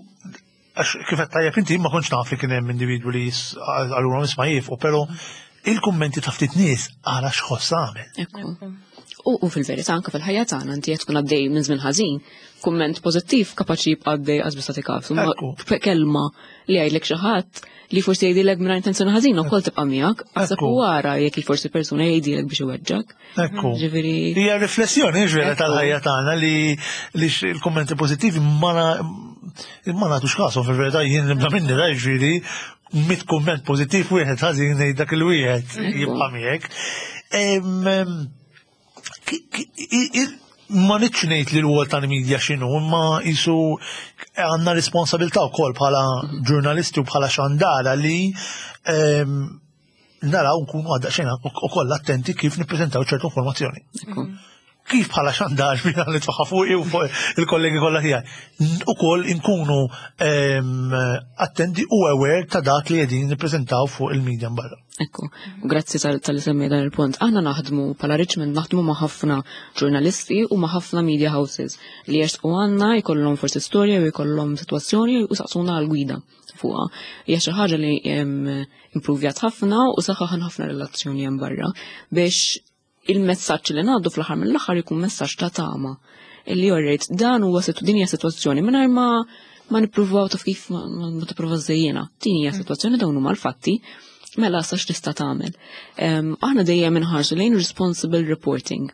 għax kif qed tajjeb inti ma kontx naf li kien hemm individwu li għalura nisma' jifqu, però il-kummenti ta' ftit nies għala x'ħoss għamel. Ekku. U fil-verità anke fil-ħajja tagħna inti qed tkun għaddej minn żmien ħażin, kumment pożittiv kapaċi jibqa' għaddej qas biss tagħti każ. Kelma li jgħidlek xi ħadd li forsi jgħidilek mingħajr intenzjoni ħażina wkoll tibqa' miegħek, aħseb u wara jekk forsi persuna jgħidilek biex iweġġak. Ekku. Ġifieri. Hija riflessjoni ġifieri tal-ħajja tagħna li l-kummenti pożittivi ma nagħtux kasu fil-verità jien nibda minni da ġifieri mit kumment pożittiv wieħed ħażin ngħid dak il-wieħed jibqa' miegħek. Ma nitx ngħid li l-wol tal-media x'inhu, imma jisu għandna responsabilità wkoll bħala ġurnalisti u bħala xandara li naraw nkunu għadda xejn ukoll attenti kif nippreżentaw ċertu informazzjoni. Kif bħala xandar bina li tfaħħa fuqi u fuq il-kollegi kollha tiegħi. Ukoll inkunu attenti u aware ta' dak li qegħdin nippreżentaw fuq il-media barra. Ekku, grazzi tal-li semmi dan il-punt. Aħna naħdmu bħala Richmond naħdmu ma' ħafna ġurnalisti u ma' ħafna media houses li jersqu għandna jkollhom forsi storja u jkollhom sitwazzjoni u saqsuna għal-gwida fuqha. Hija xi ħaġa li improvjat ħafna u saħħaħan ħafna relazzjoni hemm barra biex il-messaġġ li ngħaddu fl-aħħar mill-aħħar ikun messaġġ ta' tama. Illi jorrejt dan huwa din hija sitwazzjoni mingħajr ma ma nippruvaw taf kif ma, ma tipprova żejjena. Din hija mm. sitwazzjoni dawn huma l-fatti mela sa x'tista' tagħmel. Aħna dejjem inħarsu lejn responsible reporting.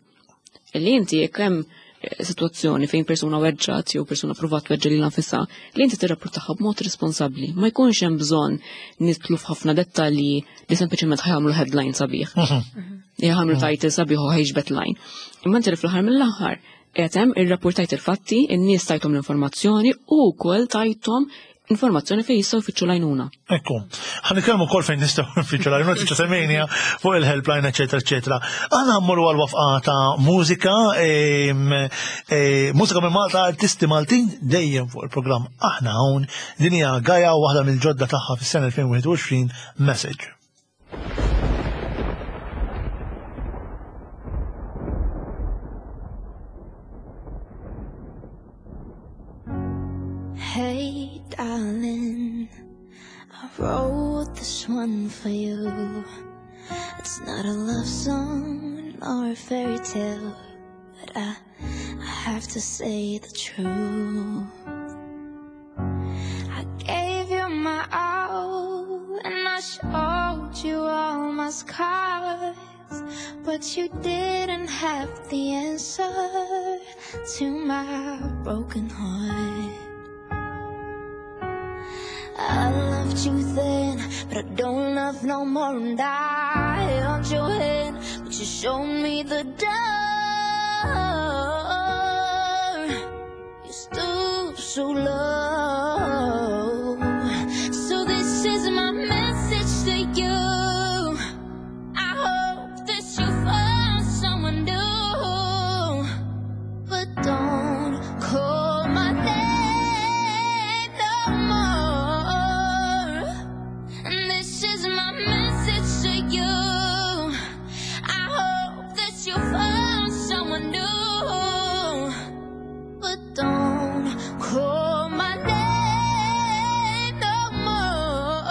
Illi inti jekk hemm situazzjoni fejn persuna weġġat jew persuna provat weġġa lilha nfisha, li inti tirrapportaha b'mod responsabbli. Ma jkunx hemm bżonn nidħlu f'ħafna dettalji li sempliċement ħajamlu headline sabiħ. Mhm. Jagħmlu mhm. title sabiħ u ħajġbet line. Imma inti fl-aħħar mill-aħħar qed hemm irrapportajt il-fatti, in-nies tajthom l-informazzjoni u wkoll tajthom informazzjoni fejn jistgħu jfittxu l-għajnuna. Ekku, ħa nitkellmu wkoll fejn nistgħu nfittxu l-għajnuna, tiġa semmejnija fuq il-helpline, eċetera, eċetera. Aħna mmorru għal wafqa ta' mużika, e, mużika minn Malta, artisti Maltin dejjem fuq il-programm aħna hawn din hija Gaja waħda mill-ġodda tagħha fis-sena 2021 Message. Hey, darling, I wrote this one for you. It's not a love song or a fairy tale, but I, I have to say the truth. I gave you my all, and I showed you all my scars. But you didn't have the answer to my broken heart. I loved you then, but I don't love no more. And I held your hand, but you showed me the door. You stooped so low. So this is my message to you. I hope that you find someone new. But don't call my name no more. And this is my message to you. I hope that you find someone new. But don't call my name no more.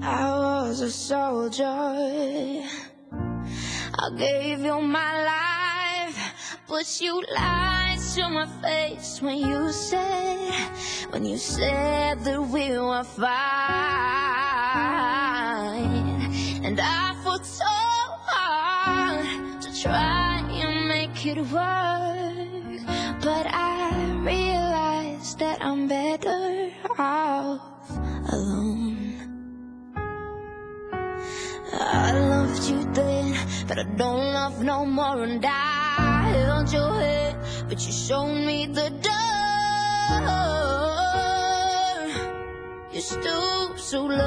I was a soldier. I gave you my life, but you lied to my face when you said, when you said that we were fine. And I fought so hard to try and make it work, but I realized that I'm better off alone. I loved you then, but I don't love no more. And I held your hand, but you showed me the door. You stooped so low.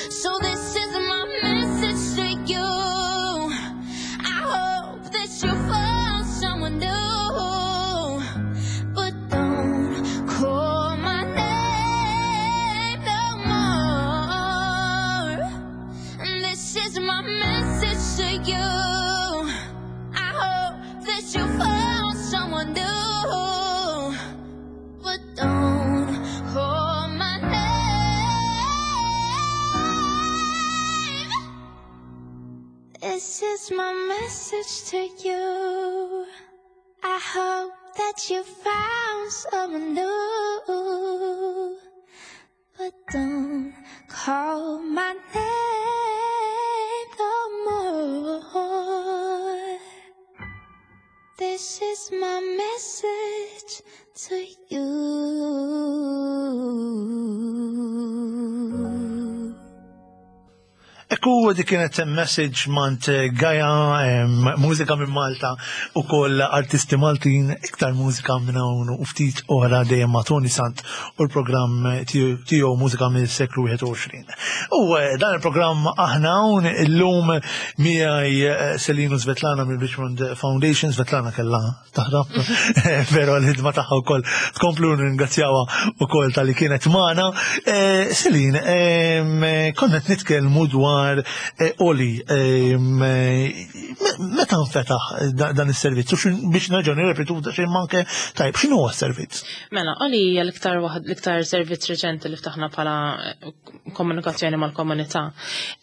So this is my message to you. I hope that you find someone new. But don't call my name no more. And this is my message to you. I hope that you found someone new. But don't call my name This is my message to you. I hope that you found someone new. But don't call my name no more. This is my message to you. Ekku dik kienet message mant Gaja, mużika minn Malta u koll artisti Maltin, iktar mużika minn hawn u ftit oħra dejjem ma' Tony Sant u l-programm tiegħu mużika mill-seklu 21. U eh, dan il-programm aħna hawn illum miegħi eh, Selinu Svetlana mill-Richmond Foundation, Svetlana kellha taħrab, pero l-ħidma tagħha wkoll tkomplu ringrazzjawha wkoll tal-li kienet magħna. Eh, Selin, konna qed nitkellmu dwar eh, Oli, meta nfetaħ dan is-servizz u biex nerġgħu nirrepetu xejn manke tajb x'inhu huwa s-servizz? Mela, Oli hija l-iktar waħd l-iktar servizz reċenti li ftaħna bħala eh, komunikazzjoni mal-komunità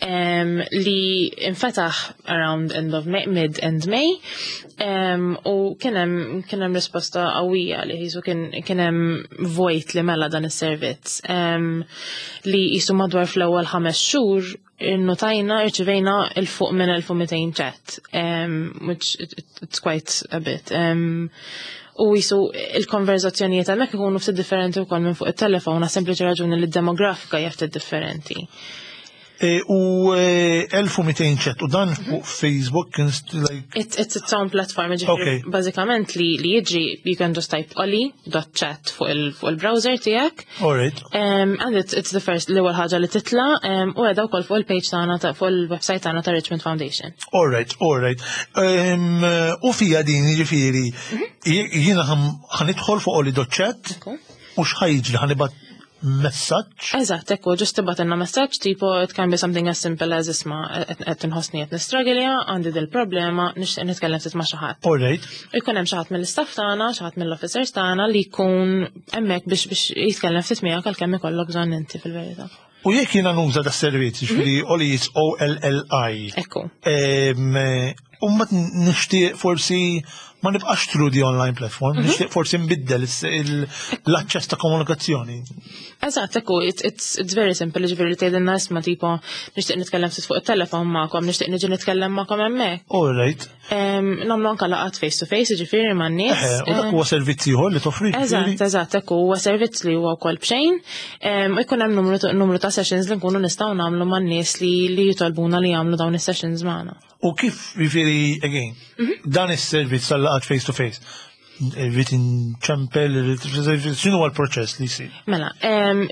li infetaħ around end of May, mid end May U kien hemm risposta qawwija li jisu kien hemm vojt li mela dan is-servizz li jisu madwar fl-ewwel 5 xhur innotajna irċivejna il fuq minn 1200 chat, which it's quite a bit. U jisu il-konverzazzjonijiet hemmhekk ikunu ftit differenti wkoll minn fuq it-telefon għas sempliċi raġuni li d-demografika hija ftit differenti. E, u 1200 e, chat u dan fuq Facebook like It's, its own platform, ġifieri bażikament li li jiġri you can just type oli.chat fuq il-browser tiegħek. Alright. And it's, the first l-ewwel ħaġa li titla u qiegħda wkoll fuq il-page tagħna fuq il-website tagħna ta' Richmond Foundation. Alright, alright. U fija din jiġifieri mhm. jiena ħanidħol fuq oli.chat u x'ħajġri ħanibat messaġġ. Eżatt, ekku, ġust tibgħatilna messaġġ tipo it can be something as simple as isma' qed inħossni qed nistragilja, għandi dil problema, nixtieq nitkellem ftit ma' xi ħadd. All right. Ikun hemm xi ħadd mill-istaff tagħna, xi ħadd mill-officers tagħna li jkun hemmhekk biex biex jitkellem ftit miegħek għalkemm ikollok bżonn inti fil-verità. U jekk jiena nuża da servizz, ġifieri Oli is O-L-L-I. Ekku. U mbagħad nixtieq forsi ma nibqax through the online platform, mhm. nixtieq forsi nbiddel l-aċċess ta' komunikazzjoni. Eżatt, ekku, it's, it's very simple, ġifieri li tgħidilna isma' tipo nixtieq nitkellem ftit fuq it-telefon magħkom, nixtieq niġi nitkellem magħkom hemmhekk. All right. Nagħmlu anke laqgħat face to face, ġifieri man-nies. U dak huwa servizz ieħor li toffri. Eżatt, eżatt, ekku huwa servizz li huwa wkoll b'xejn. U jkun hemm numru ta' sessions li nkunu nistgħu nagħmlu man-nies li jitolbuna li jagħmlu dawn is-sessions magħna. U kif, jiġifieri, again, mhm. dan is-servizz tal-laqat face to face, irrid inċempel, x'inhu l-proċess li jsir? Mela,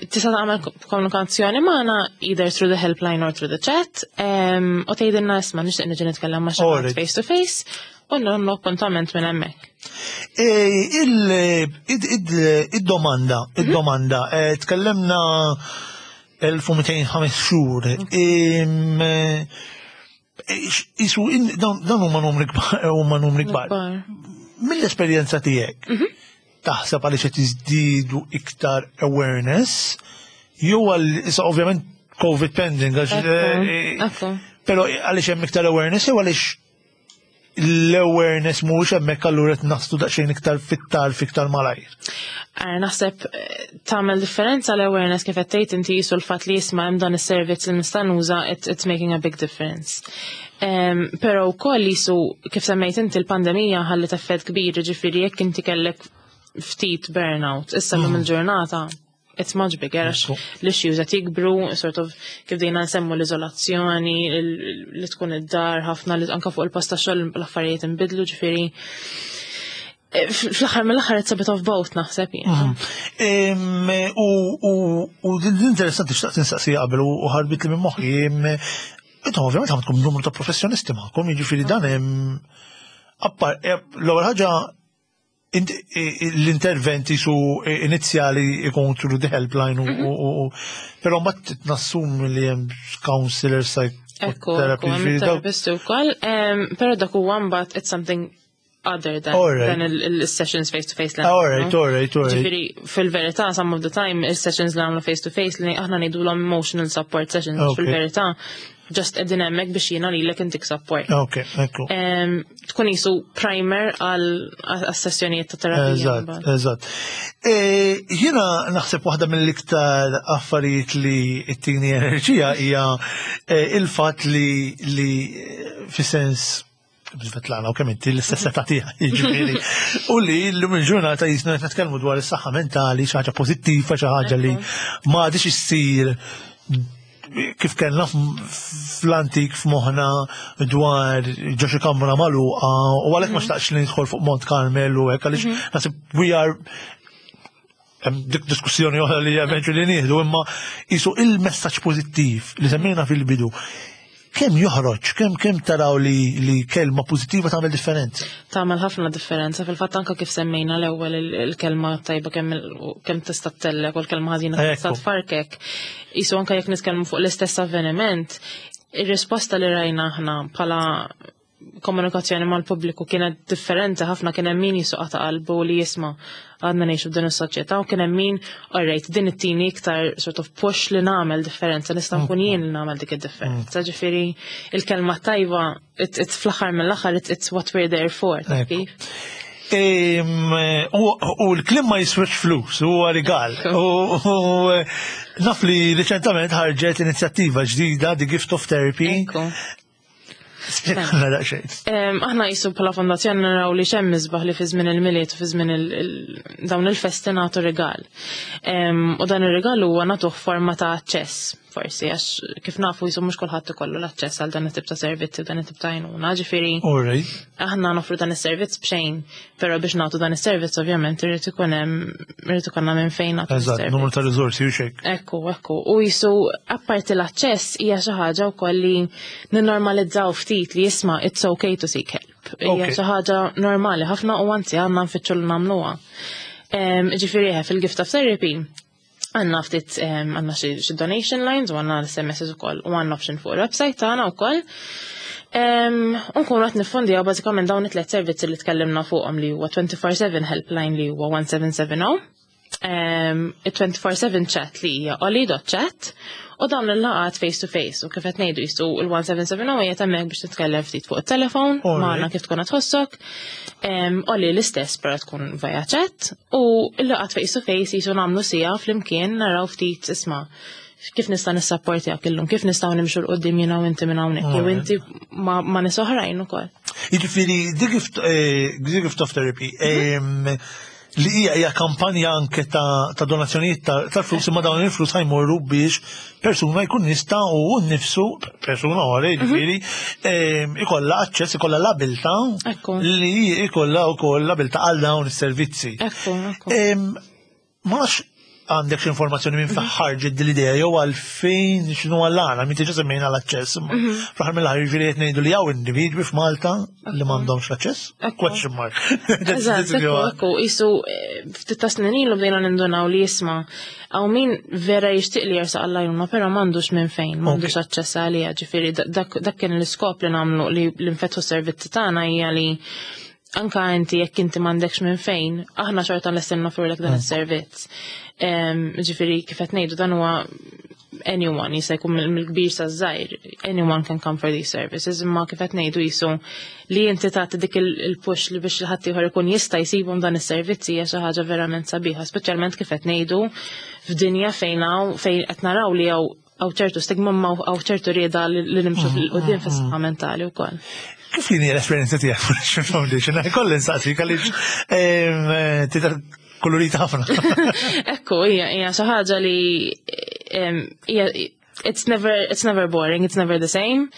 tista' tagħmel komunikazzjoni magħna either through the helpline or through the chat, u tgħidilna isma' nixtieq niġi nitkellem ma' xi face to face u nagħmlu appuntament minn hemmhekk. E, id-domanda, mhm. id-domanda, e, tkellimna 1205 xhur. Isu, dan huma numri kbar, huma numri kbar. Mill-esperjenza tiegħek, mhm. taħseb għaliex qed jiżdiedu iktar awareness, jew għal issa ovvjament COVID pending, għax. Eh, eh, però għaliex hemm iktar awareness jew għaliex l-awareness mhuwiex hemmhekk allura qed naslu daqsxejn iktar fit-tarf iktar malajr. Eh, naħseb eh, tagħmel differenza l-awareness kif qed tgħid inti jisu l-fatt li jisma' hemm dan is-servizz li nista' nuża it's making a big difference. Però wkoll jisu kif semmejt inti l-pandemija ħallit effett kbir, ġifieri jekk inti kellek ftit burnout, issa l-lum mm. il-ġurnata it's much bigger għax l-issues qed jikbru, sort of kif dejna nsemmu l-iżolazzjoni, li tkun id-dar ħafna li anka fuq il-post ta' xogħol l-affarijiet inbidlu ġifieri. Eh, fl-aħħar mill-aħħar it's a bit of both naħseb jien. Mhm. U l-interessanti xtaqt insaqsija qabel u ħarbit li minn moħħi. Intom ovvjament għandkom numru ta' professjonisti magħkom, jiġifieri dan hemm appar eh, l-ewwel ħaġa l-interventi su inizjali ikun through the helpline u mhm. però mbagħad nassum li hemm counselor psychotherapy. Therapist ukoll, però dak huwa mbagħad it's something other than, right. than il-sessions face to face. All right, all right, all right. Ġifieri fil-verità some of the time il-sessions li għamlu face to face li aħna ngħidulhom emotional support sessions fil-verità. Just qegħdin hemmhekk biex jiena lilek intik support. Ok, ekku. Tkun jisu primer għal sessjonijiet ta' terapija. Eżatt, eżatt. E, jiena naħseb waħda mill-iktar affarijiet li ttini enerġija hija e, il-fatt li li fis-sens Svetlana u kemm inti l-istess età tiegħi, jiġifieri. U li llum il-ġurnata jisna qed nitkellmu dwar is-saħħa mentali, xi ħaġa pożittiva, xi ħaġa li ma għadix issir kif kellna fl-antik f'moħħna dwar ġo xi kamra magħluqa u għalhekk ma mhm. xtaqx li nidħol fuq Mont Carmel u hekk għaliex mhm. naħseb we are hemm dik diskussjoni oħra li eventually nieħdu imma jisu il-messaġġ pożittiv li semmejna fil-bidu kemm joħroġ, kemm kemm taraw li, li kelma pożittiva tagħmel differenza? Tagħmel ħafna differenza fil-fatt anke kif semmejna l-ewwel il-kelma tajba kemm kemm tista' tellek u l-kelma ħażina tista' tfarkek. Isu anke jekk nitkellmu fuq l-istess avveniment, ir-risposta li rajna aħna bħala komunikazzjoni mal-pubbliku kienet differenti ħafna kien hemm min jisuqa ta' qalbu li jisma' għadna ngħixu f'din is-soċjetà u kien hemm min alright din it-tini iktar sort of push li nagħmel differenza nista' nkun jien li nagħmel dik id-differenza. Ġifieri il-kelma tajba it's fl-aħħar mill-aħħar it's what we're there for. U l-klim ma jiswex flus, huwa rigal. U naf li riċentament ħarġet inizjattiva ġdida, The Gift of Therapy. Spjegana daqsxejn. Aħna jisu bħala fondazzjoni naraw li xemm isbaħ li fi żmien il-Milied u fi żmien dawn il-festi nagħtu rigal. U dan ir-rigal huwa nagħtuh forma ta' aċċess forsi għax kif nafu jisu mhux kulħadd ikollu l-aċċess għal dan it-tip ta' servizzi u dan it-tip ta' għajnuna. Ġifieri aħna nofru dan is-servizz b'xejn, però biex nagħtu dan is-servizz ovvjament irid ikun hemm irid ikollna minn fejn nagħtu. Eżatt, numru ta' riżorsi u xejn. Ekku, ekku. U jisu apparti l-aċċess hija xi ħaġa wkoll li ninnormalizzaw ftit li jisma' it's okay to seek help. Hija xi ħaġa normali ħafna u anzi għandna nfittxu li nagħmluha. Ġifieri fil-gift of therapy għanna ftit għanna xi donation lines u għanna l-SMS ukoll u għanna option fuq il-website tagħna wkoll. Unkunu qed niffondjaw bażikament dawn it-tliet servizzi li tkellimna fuqhom li huwa 24/7 helpline li huwa 1770, il-24/7 chat li hija oli.chat u dawn il-laqgħat face to face u kif qed ngħidu jistu il-1770 hija hemmhekk biex titkellem ftit fuq it-telefon magħna kif tkun qed tħossok. Oli l-istess però tkun via chat u l-laqgħat face to face jisu nagħmlu siegħa flimkien naraw ftit isma' kif nista' nissapportjak illum, kif nistgħu nimxu 'l quddiem jiena u inti minn hawnhekk, jew inti ma' nies oħrajn ukoll. Jiġifieri The Gift, eh, The Gift of Therapy, li hija hija kampanja anke ta', ta donazzjonijiet tal-flus imma dawn il-flus ħajmorru biex persuna jkun jista' u nnifsu persuna oħra jiġifieri ikollha aċċess ikollha l-abilità li ikollha wkoll l-abilità għal dawn is-servizzi. Ma nafx għandek xi informazzjoni minn fejn ħarġet din l-idea jew għalfejn x'inhu għall-għana, minn diġà semmejna l-aċċess. Mhm. Fl-aħħar mill-aħħar jiġifieri qed ngħidu li hawn individwi f'Malta li m'għandhomx l-aċċess? Question mark. Eżatt, ekku, isu eh, ftit ta' snin ilu bdejna nindunaw li jisma' hawn min vera jixtieq li jersaq għall-għajnuna, però m'għandux minn fejn, m'għandux aċċess għaliha, ġifieri dak kien l-iskop li nagħmlu li nfetħu s-servizzi tagħna hija li anka inti jekk inti m'għandekx minn fejn, aħna xorta lesti noffrulek dan is-servizz. Ġifieri kif qed ngħidu dan huwa anyone jista' jkun mill-kbir sa żgħir, anyone can come for these services, imma kif qed ngħidu jisu li inti tagħti dik il-push li biex ħadd ieħor ikun jista' jsibhom dan is-servizzi hija xi ħaġa verament sabiħa, speċjalment kif qed ngħidu f'dinja fejn hawn fejn qed naraw li hawn hawn ċertu stigma ma hawn ċertu rieda li nimxu fil-qudiem fis-saħħa mentali wkoll. Kif kien l-esperjenza tiegħek fil Foundation? Kolli nsaqsik għaliex tidher kolorita ħafna. Ekku, hija hija xi ħaġa li hija it's never it's never boring, it's never the same.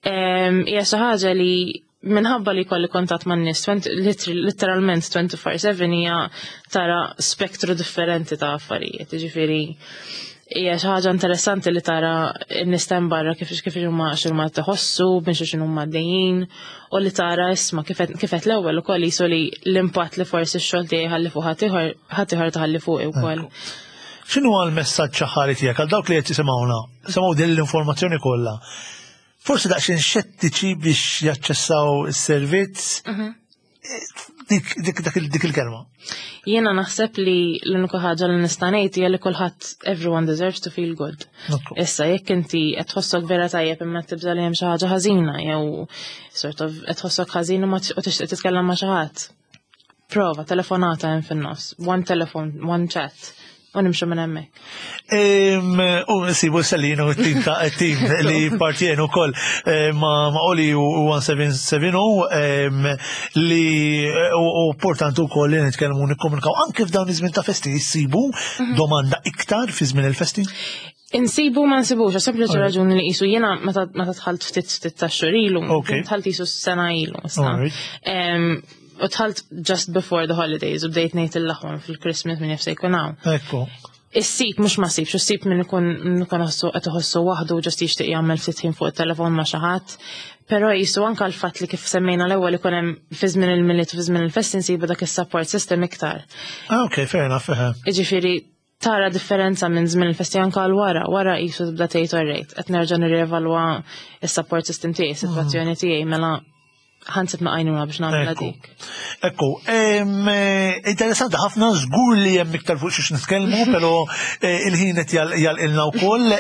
Hija xi ħaġa li minħabba li kolli kontatt man nies literalment 24/7 hija tara spektru differenti ta' affarijiet. Ġifieri hija xi ħaġa interessanti li tara n-nies ta' barra kif kif huma x'huma tħossu, minn xi huma għaddejjin, u li tara isma' kif qed l-ewwel ukoll jisu li l-impatt li forsi x-xogħol tiegħi ħalli fuq ħaddieħor ħaddieħor taħalli fuqi wkoll. X'inhu l-messaġġ aħħari tiegħek għal dawk li qed jisimgħuna, semgħu din l-informazzjoni kollha. Forsi daqsxejn xettiċi biex jaċċessaw is-servizz. Dik dik dik il-kelma. Jiena naħseb li l-unika ħaġa li nista' ngħid hija li kulħadd everyone deserves to feel good. Issa jekk inti qed tħossok vera tajjeb imma tibża' li hemm xi ħaġa ħażina jew sort of qed tħossok ħażin u ma tixtieq titkellem ma' xi ħadd. Prova, telefonata hemm fin-nofs, one telephone, one chat u nimxu minn hemmhekk. U nsibu Selina u t-tim ta' tim li partjenu wkoll eh, ma' Oli u 1770 li eh, u importanti wkoll li nitkellmu nikkomunikaw anke f'dawn iż-żmien ta' festi jsibu mhm. domanda iktar fi żmien il-festi. Insibu ma nsibux, għax sempliċi raġuni li qisu jiena meta dħalt ftit ftit ta' xhur ilu, dħalt qisu sena ilu. U dħalt just before the holidays u bdejt ngħid il-laħwan fil-Christmas minn jaf se jkun hawn. Ekku. Issib mhux ma sibx, issib minn ikun ikun ħossu qed iħossu waħdu ġast jixtieq jagħmel ftit ħin fuq it-telefon ma' xi ħadd. Però jisu anke l-fatt li kif semmejna l-ewwel ikun hemm fi żmien il-Milied u fi żmien il-festi nsibu dak is-support system iktar. Ah, ok, fair enough. Jiġifieri tara differenza minn żmien il-festi anke għal wara, wara qisu tibda tgħid orrejt, qed nerġa' nirrievalwa s-support system tiegħi, is-sitwazzjoni tiegħi mela ħansib ma' għajnuna biex nagħmel dik. Ekku, eh, interessanti ħafna żgur li hemm iktar fuq xiex nitkellmu, però eh, il-ħin qed jalqilna wkoll.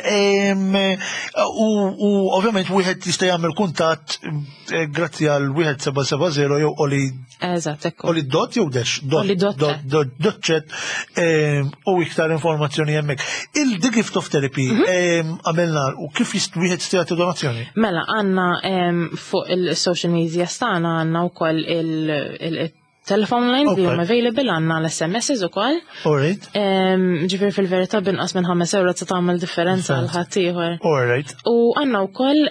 U ovvjament wieħed jista' jagħmel kuntatt eh, grazzi għal 1770 jew oli Eżatt, ekku. Oli dot jew dash? Oli dot. Dot, dot chat u iktar informazzjoni hemmhekk. Il-The Gift of Therapy mhm. għamilna u kif wieħed jista' jagħti donazzjoni? Mela għandna fuq il-social media stana għandna wkoll il-telephone lines li huma available għandna l-SMSs ukoll. Alright. Ġifieri fil-verità binqas minn 5 euro se tagħmel differenza għal ħaddieħor. Alright. U għandna wkoll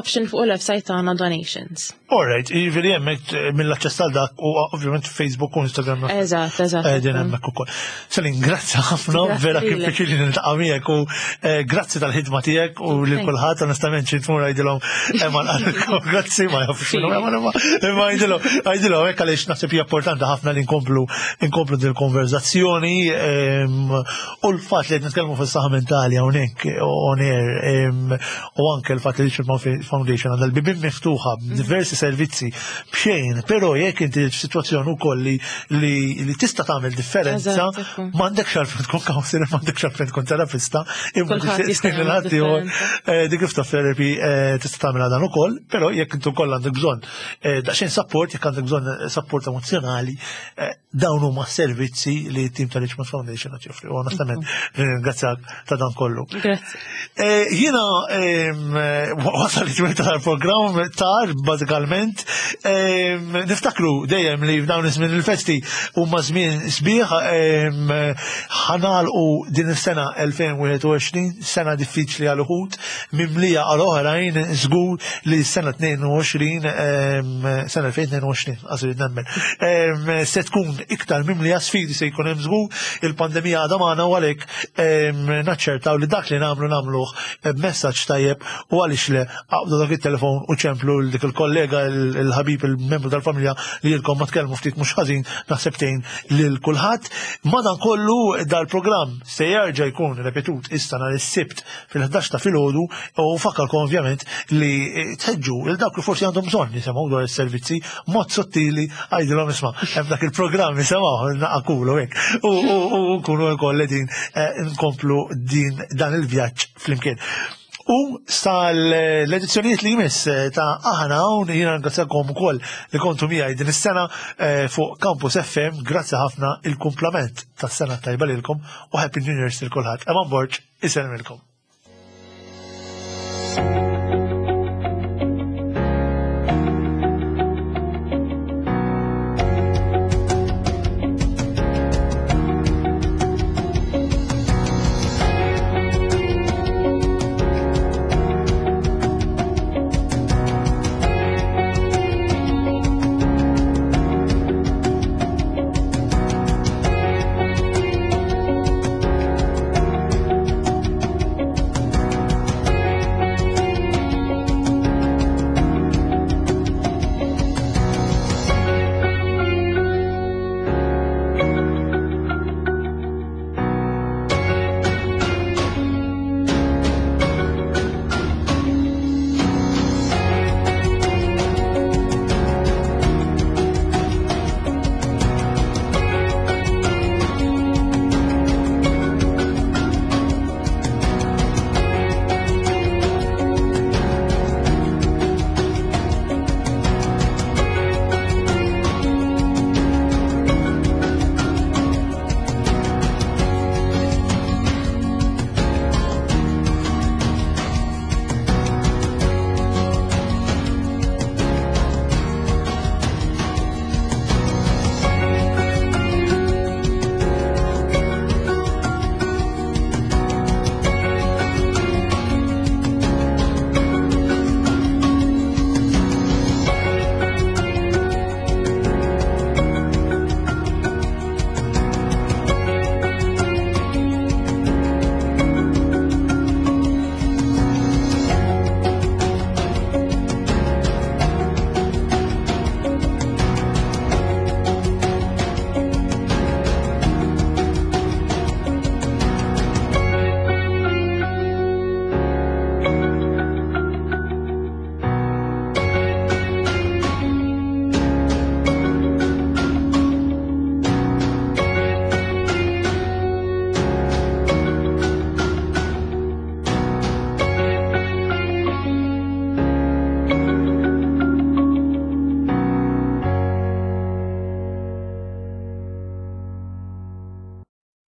option fuq il-website tagħna donations. Alright, jiġifieri hemmhekk eh, mill-aċċess għal dak u ovvjament Facebook u Instagram. Eżatt, eżatt. Qegħdin hemmhekk ukoll. Selin, grazzi ħafna, vera kien pjaċir li niltaqa' miegħek u eh, grazzi tal-ħidma tiegħek u lil kulħadd onestament xi tmur għidilhom hemm għalkom grazzi ma jafux x'inhu hemm imma imma għidilhom għidilhom hekk għaliex naħseb hija importanti ħafna li nkomplu nkomplu din il-konverzazzjoni ehm, u l-fatt li qed nitkellmu fis-saħħa mentali hawnhekk on air ehm, u anke l-fatt li Richard Foundation għandha l-bibien miftuħa b'diversi servizzi b'xejn, però jekk inti f'sitwazzjoni wkoll li li tista' tagħmel differenza, m'għandekx għalfejn tkun counselor, m'għandekx għalfejn tkun terapista, imma eh, the gift of therapy eh, tista' tagħmel dan ukoll, però jekk intu koll għandek bżonn eh, daqsxejn support, jekk għandek bżonn support emozjonali, dawn huma servizzi li t-tim ta' Richmond Foundation qed joffri. U onestament ringrazzjak ta' dan kollu. Grazzi. Eh, jiena wasal li tmiem tal-programm tar bażikalment niftakru dejjem li f'dawn iż-żmien il-festi huma żmien sbieħ ħanalqu din is-sena 2021 sena diffiċli għal uħud mimlija għal oħrajn żgur li s-sena 22 sena 2022 għasir nemmen. Se tkun iktar mimlija sfidi se jkun hemm żgur, il-pandemija għadha magħna u għalhekk naċċertaw li dak li nagħmlu nagħmluh b'messaġġ tajjeb u għaliex le aqbdu dak it-telefon u ċemplu l dik il-kollega il-ħabib il-membru tal-familja li jilkom ma tkellmu ftit mhux ħażin naħseb tgħin lil kulħadd. Madankollu dal-programm se jerġa' jkun repetut issa nhar is-Sibt fil-11 ta' filgħodu u fakkarkom ovvjament li tħeġġu il dawk li forsi għandhom bżonn jisimgħu dwar is-servizzi mod sottili għajdilhom isma' hemm dak il-programm jisimgħu naqakulu hekk u nkunu wkoll qegħdin eh, nkomplu din dan il-vjaġġ flimkien. U sal-edizzjonijiet li jmiss eh, ta' aħna hawn jiena ringrazzjakom ukoll li kontu miegħi din is-sena eh, fuq Campus FM, grazzi ħafna il-kumplament tas-sena tajba lilkom u Happy New Year lil kulħadd. Eman Borg, isellmilkom.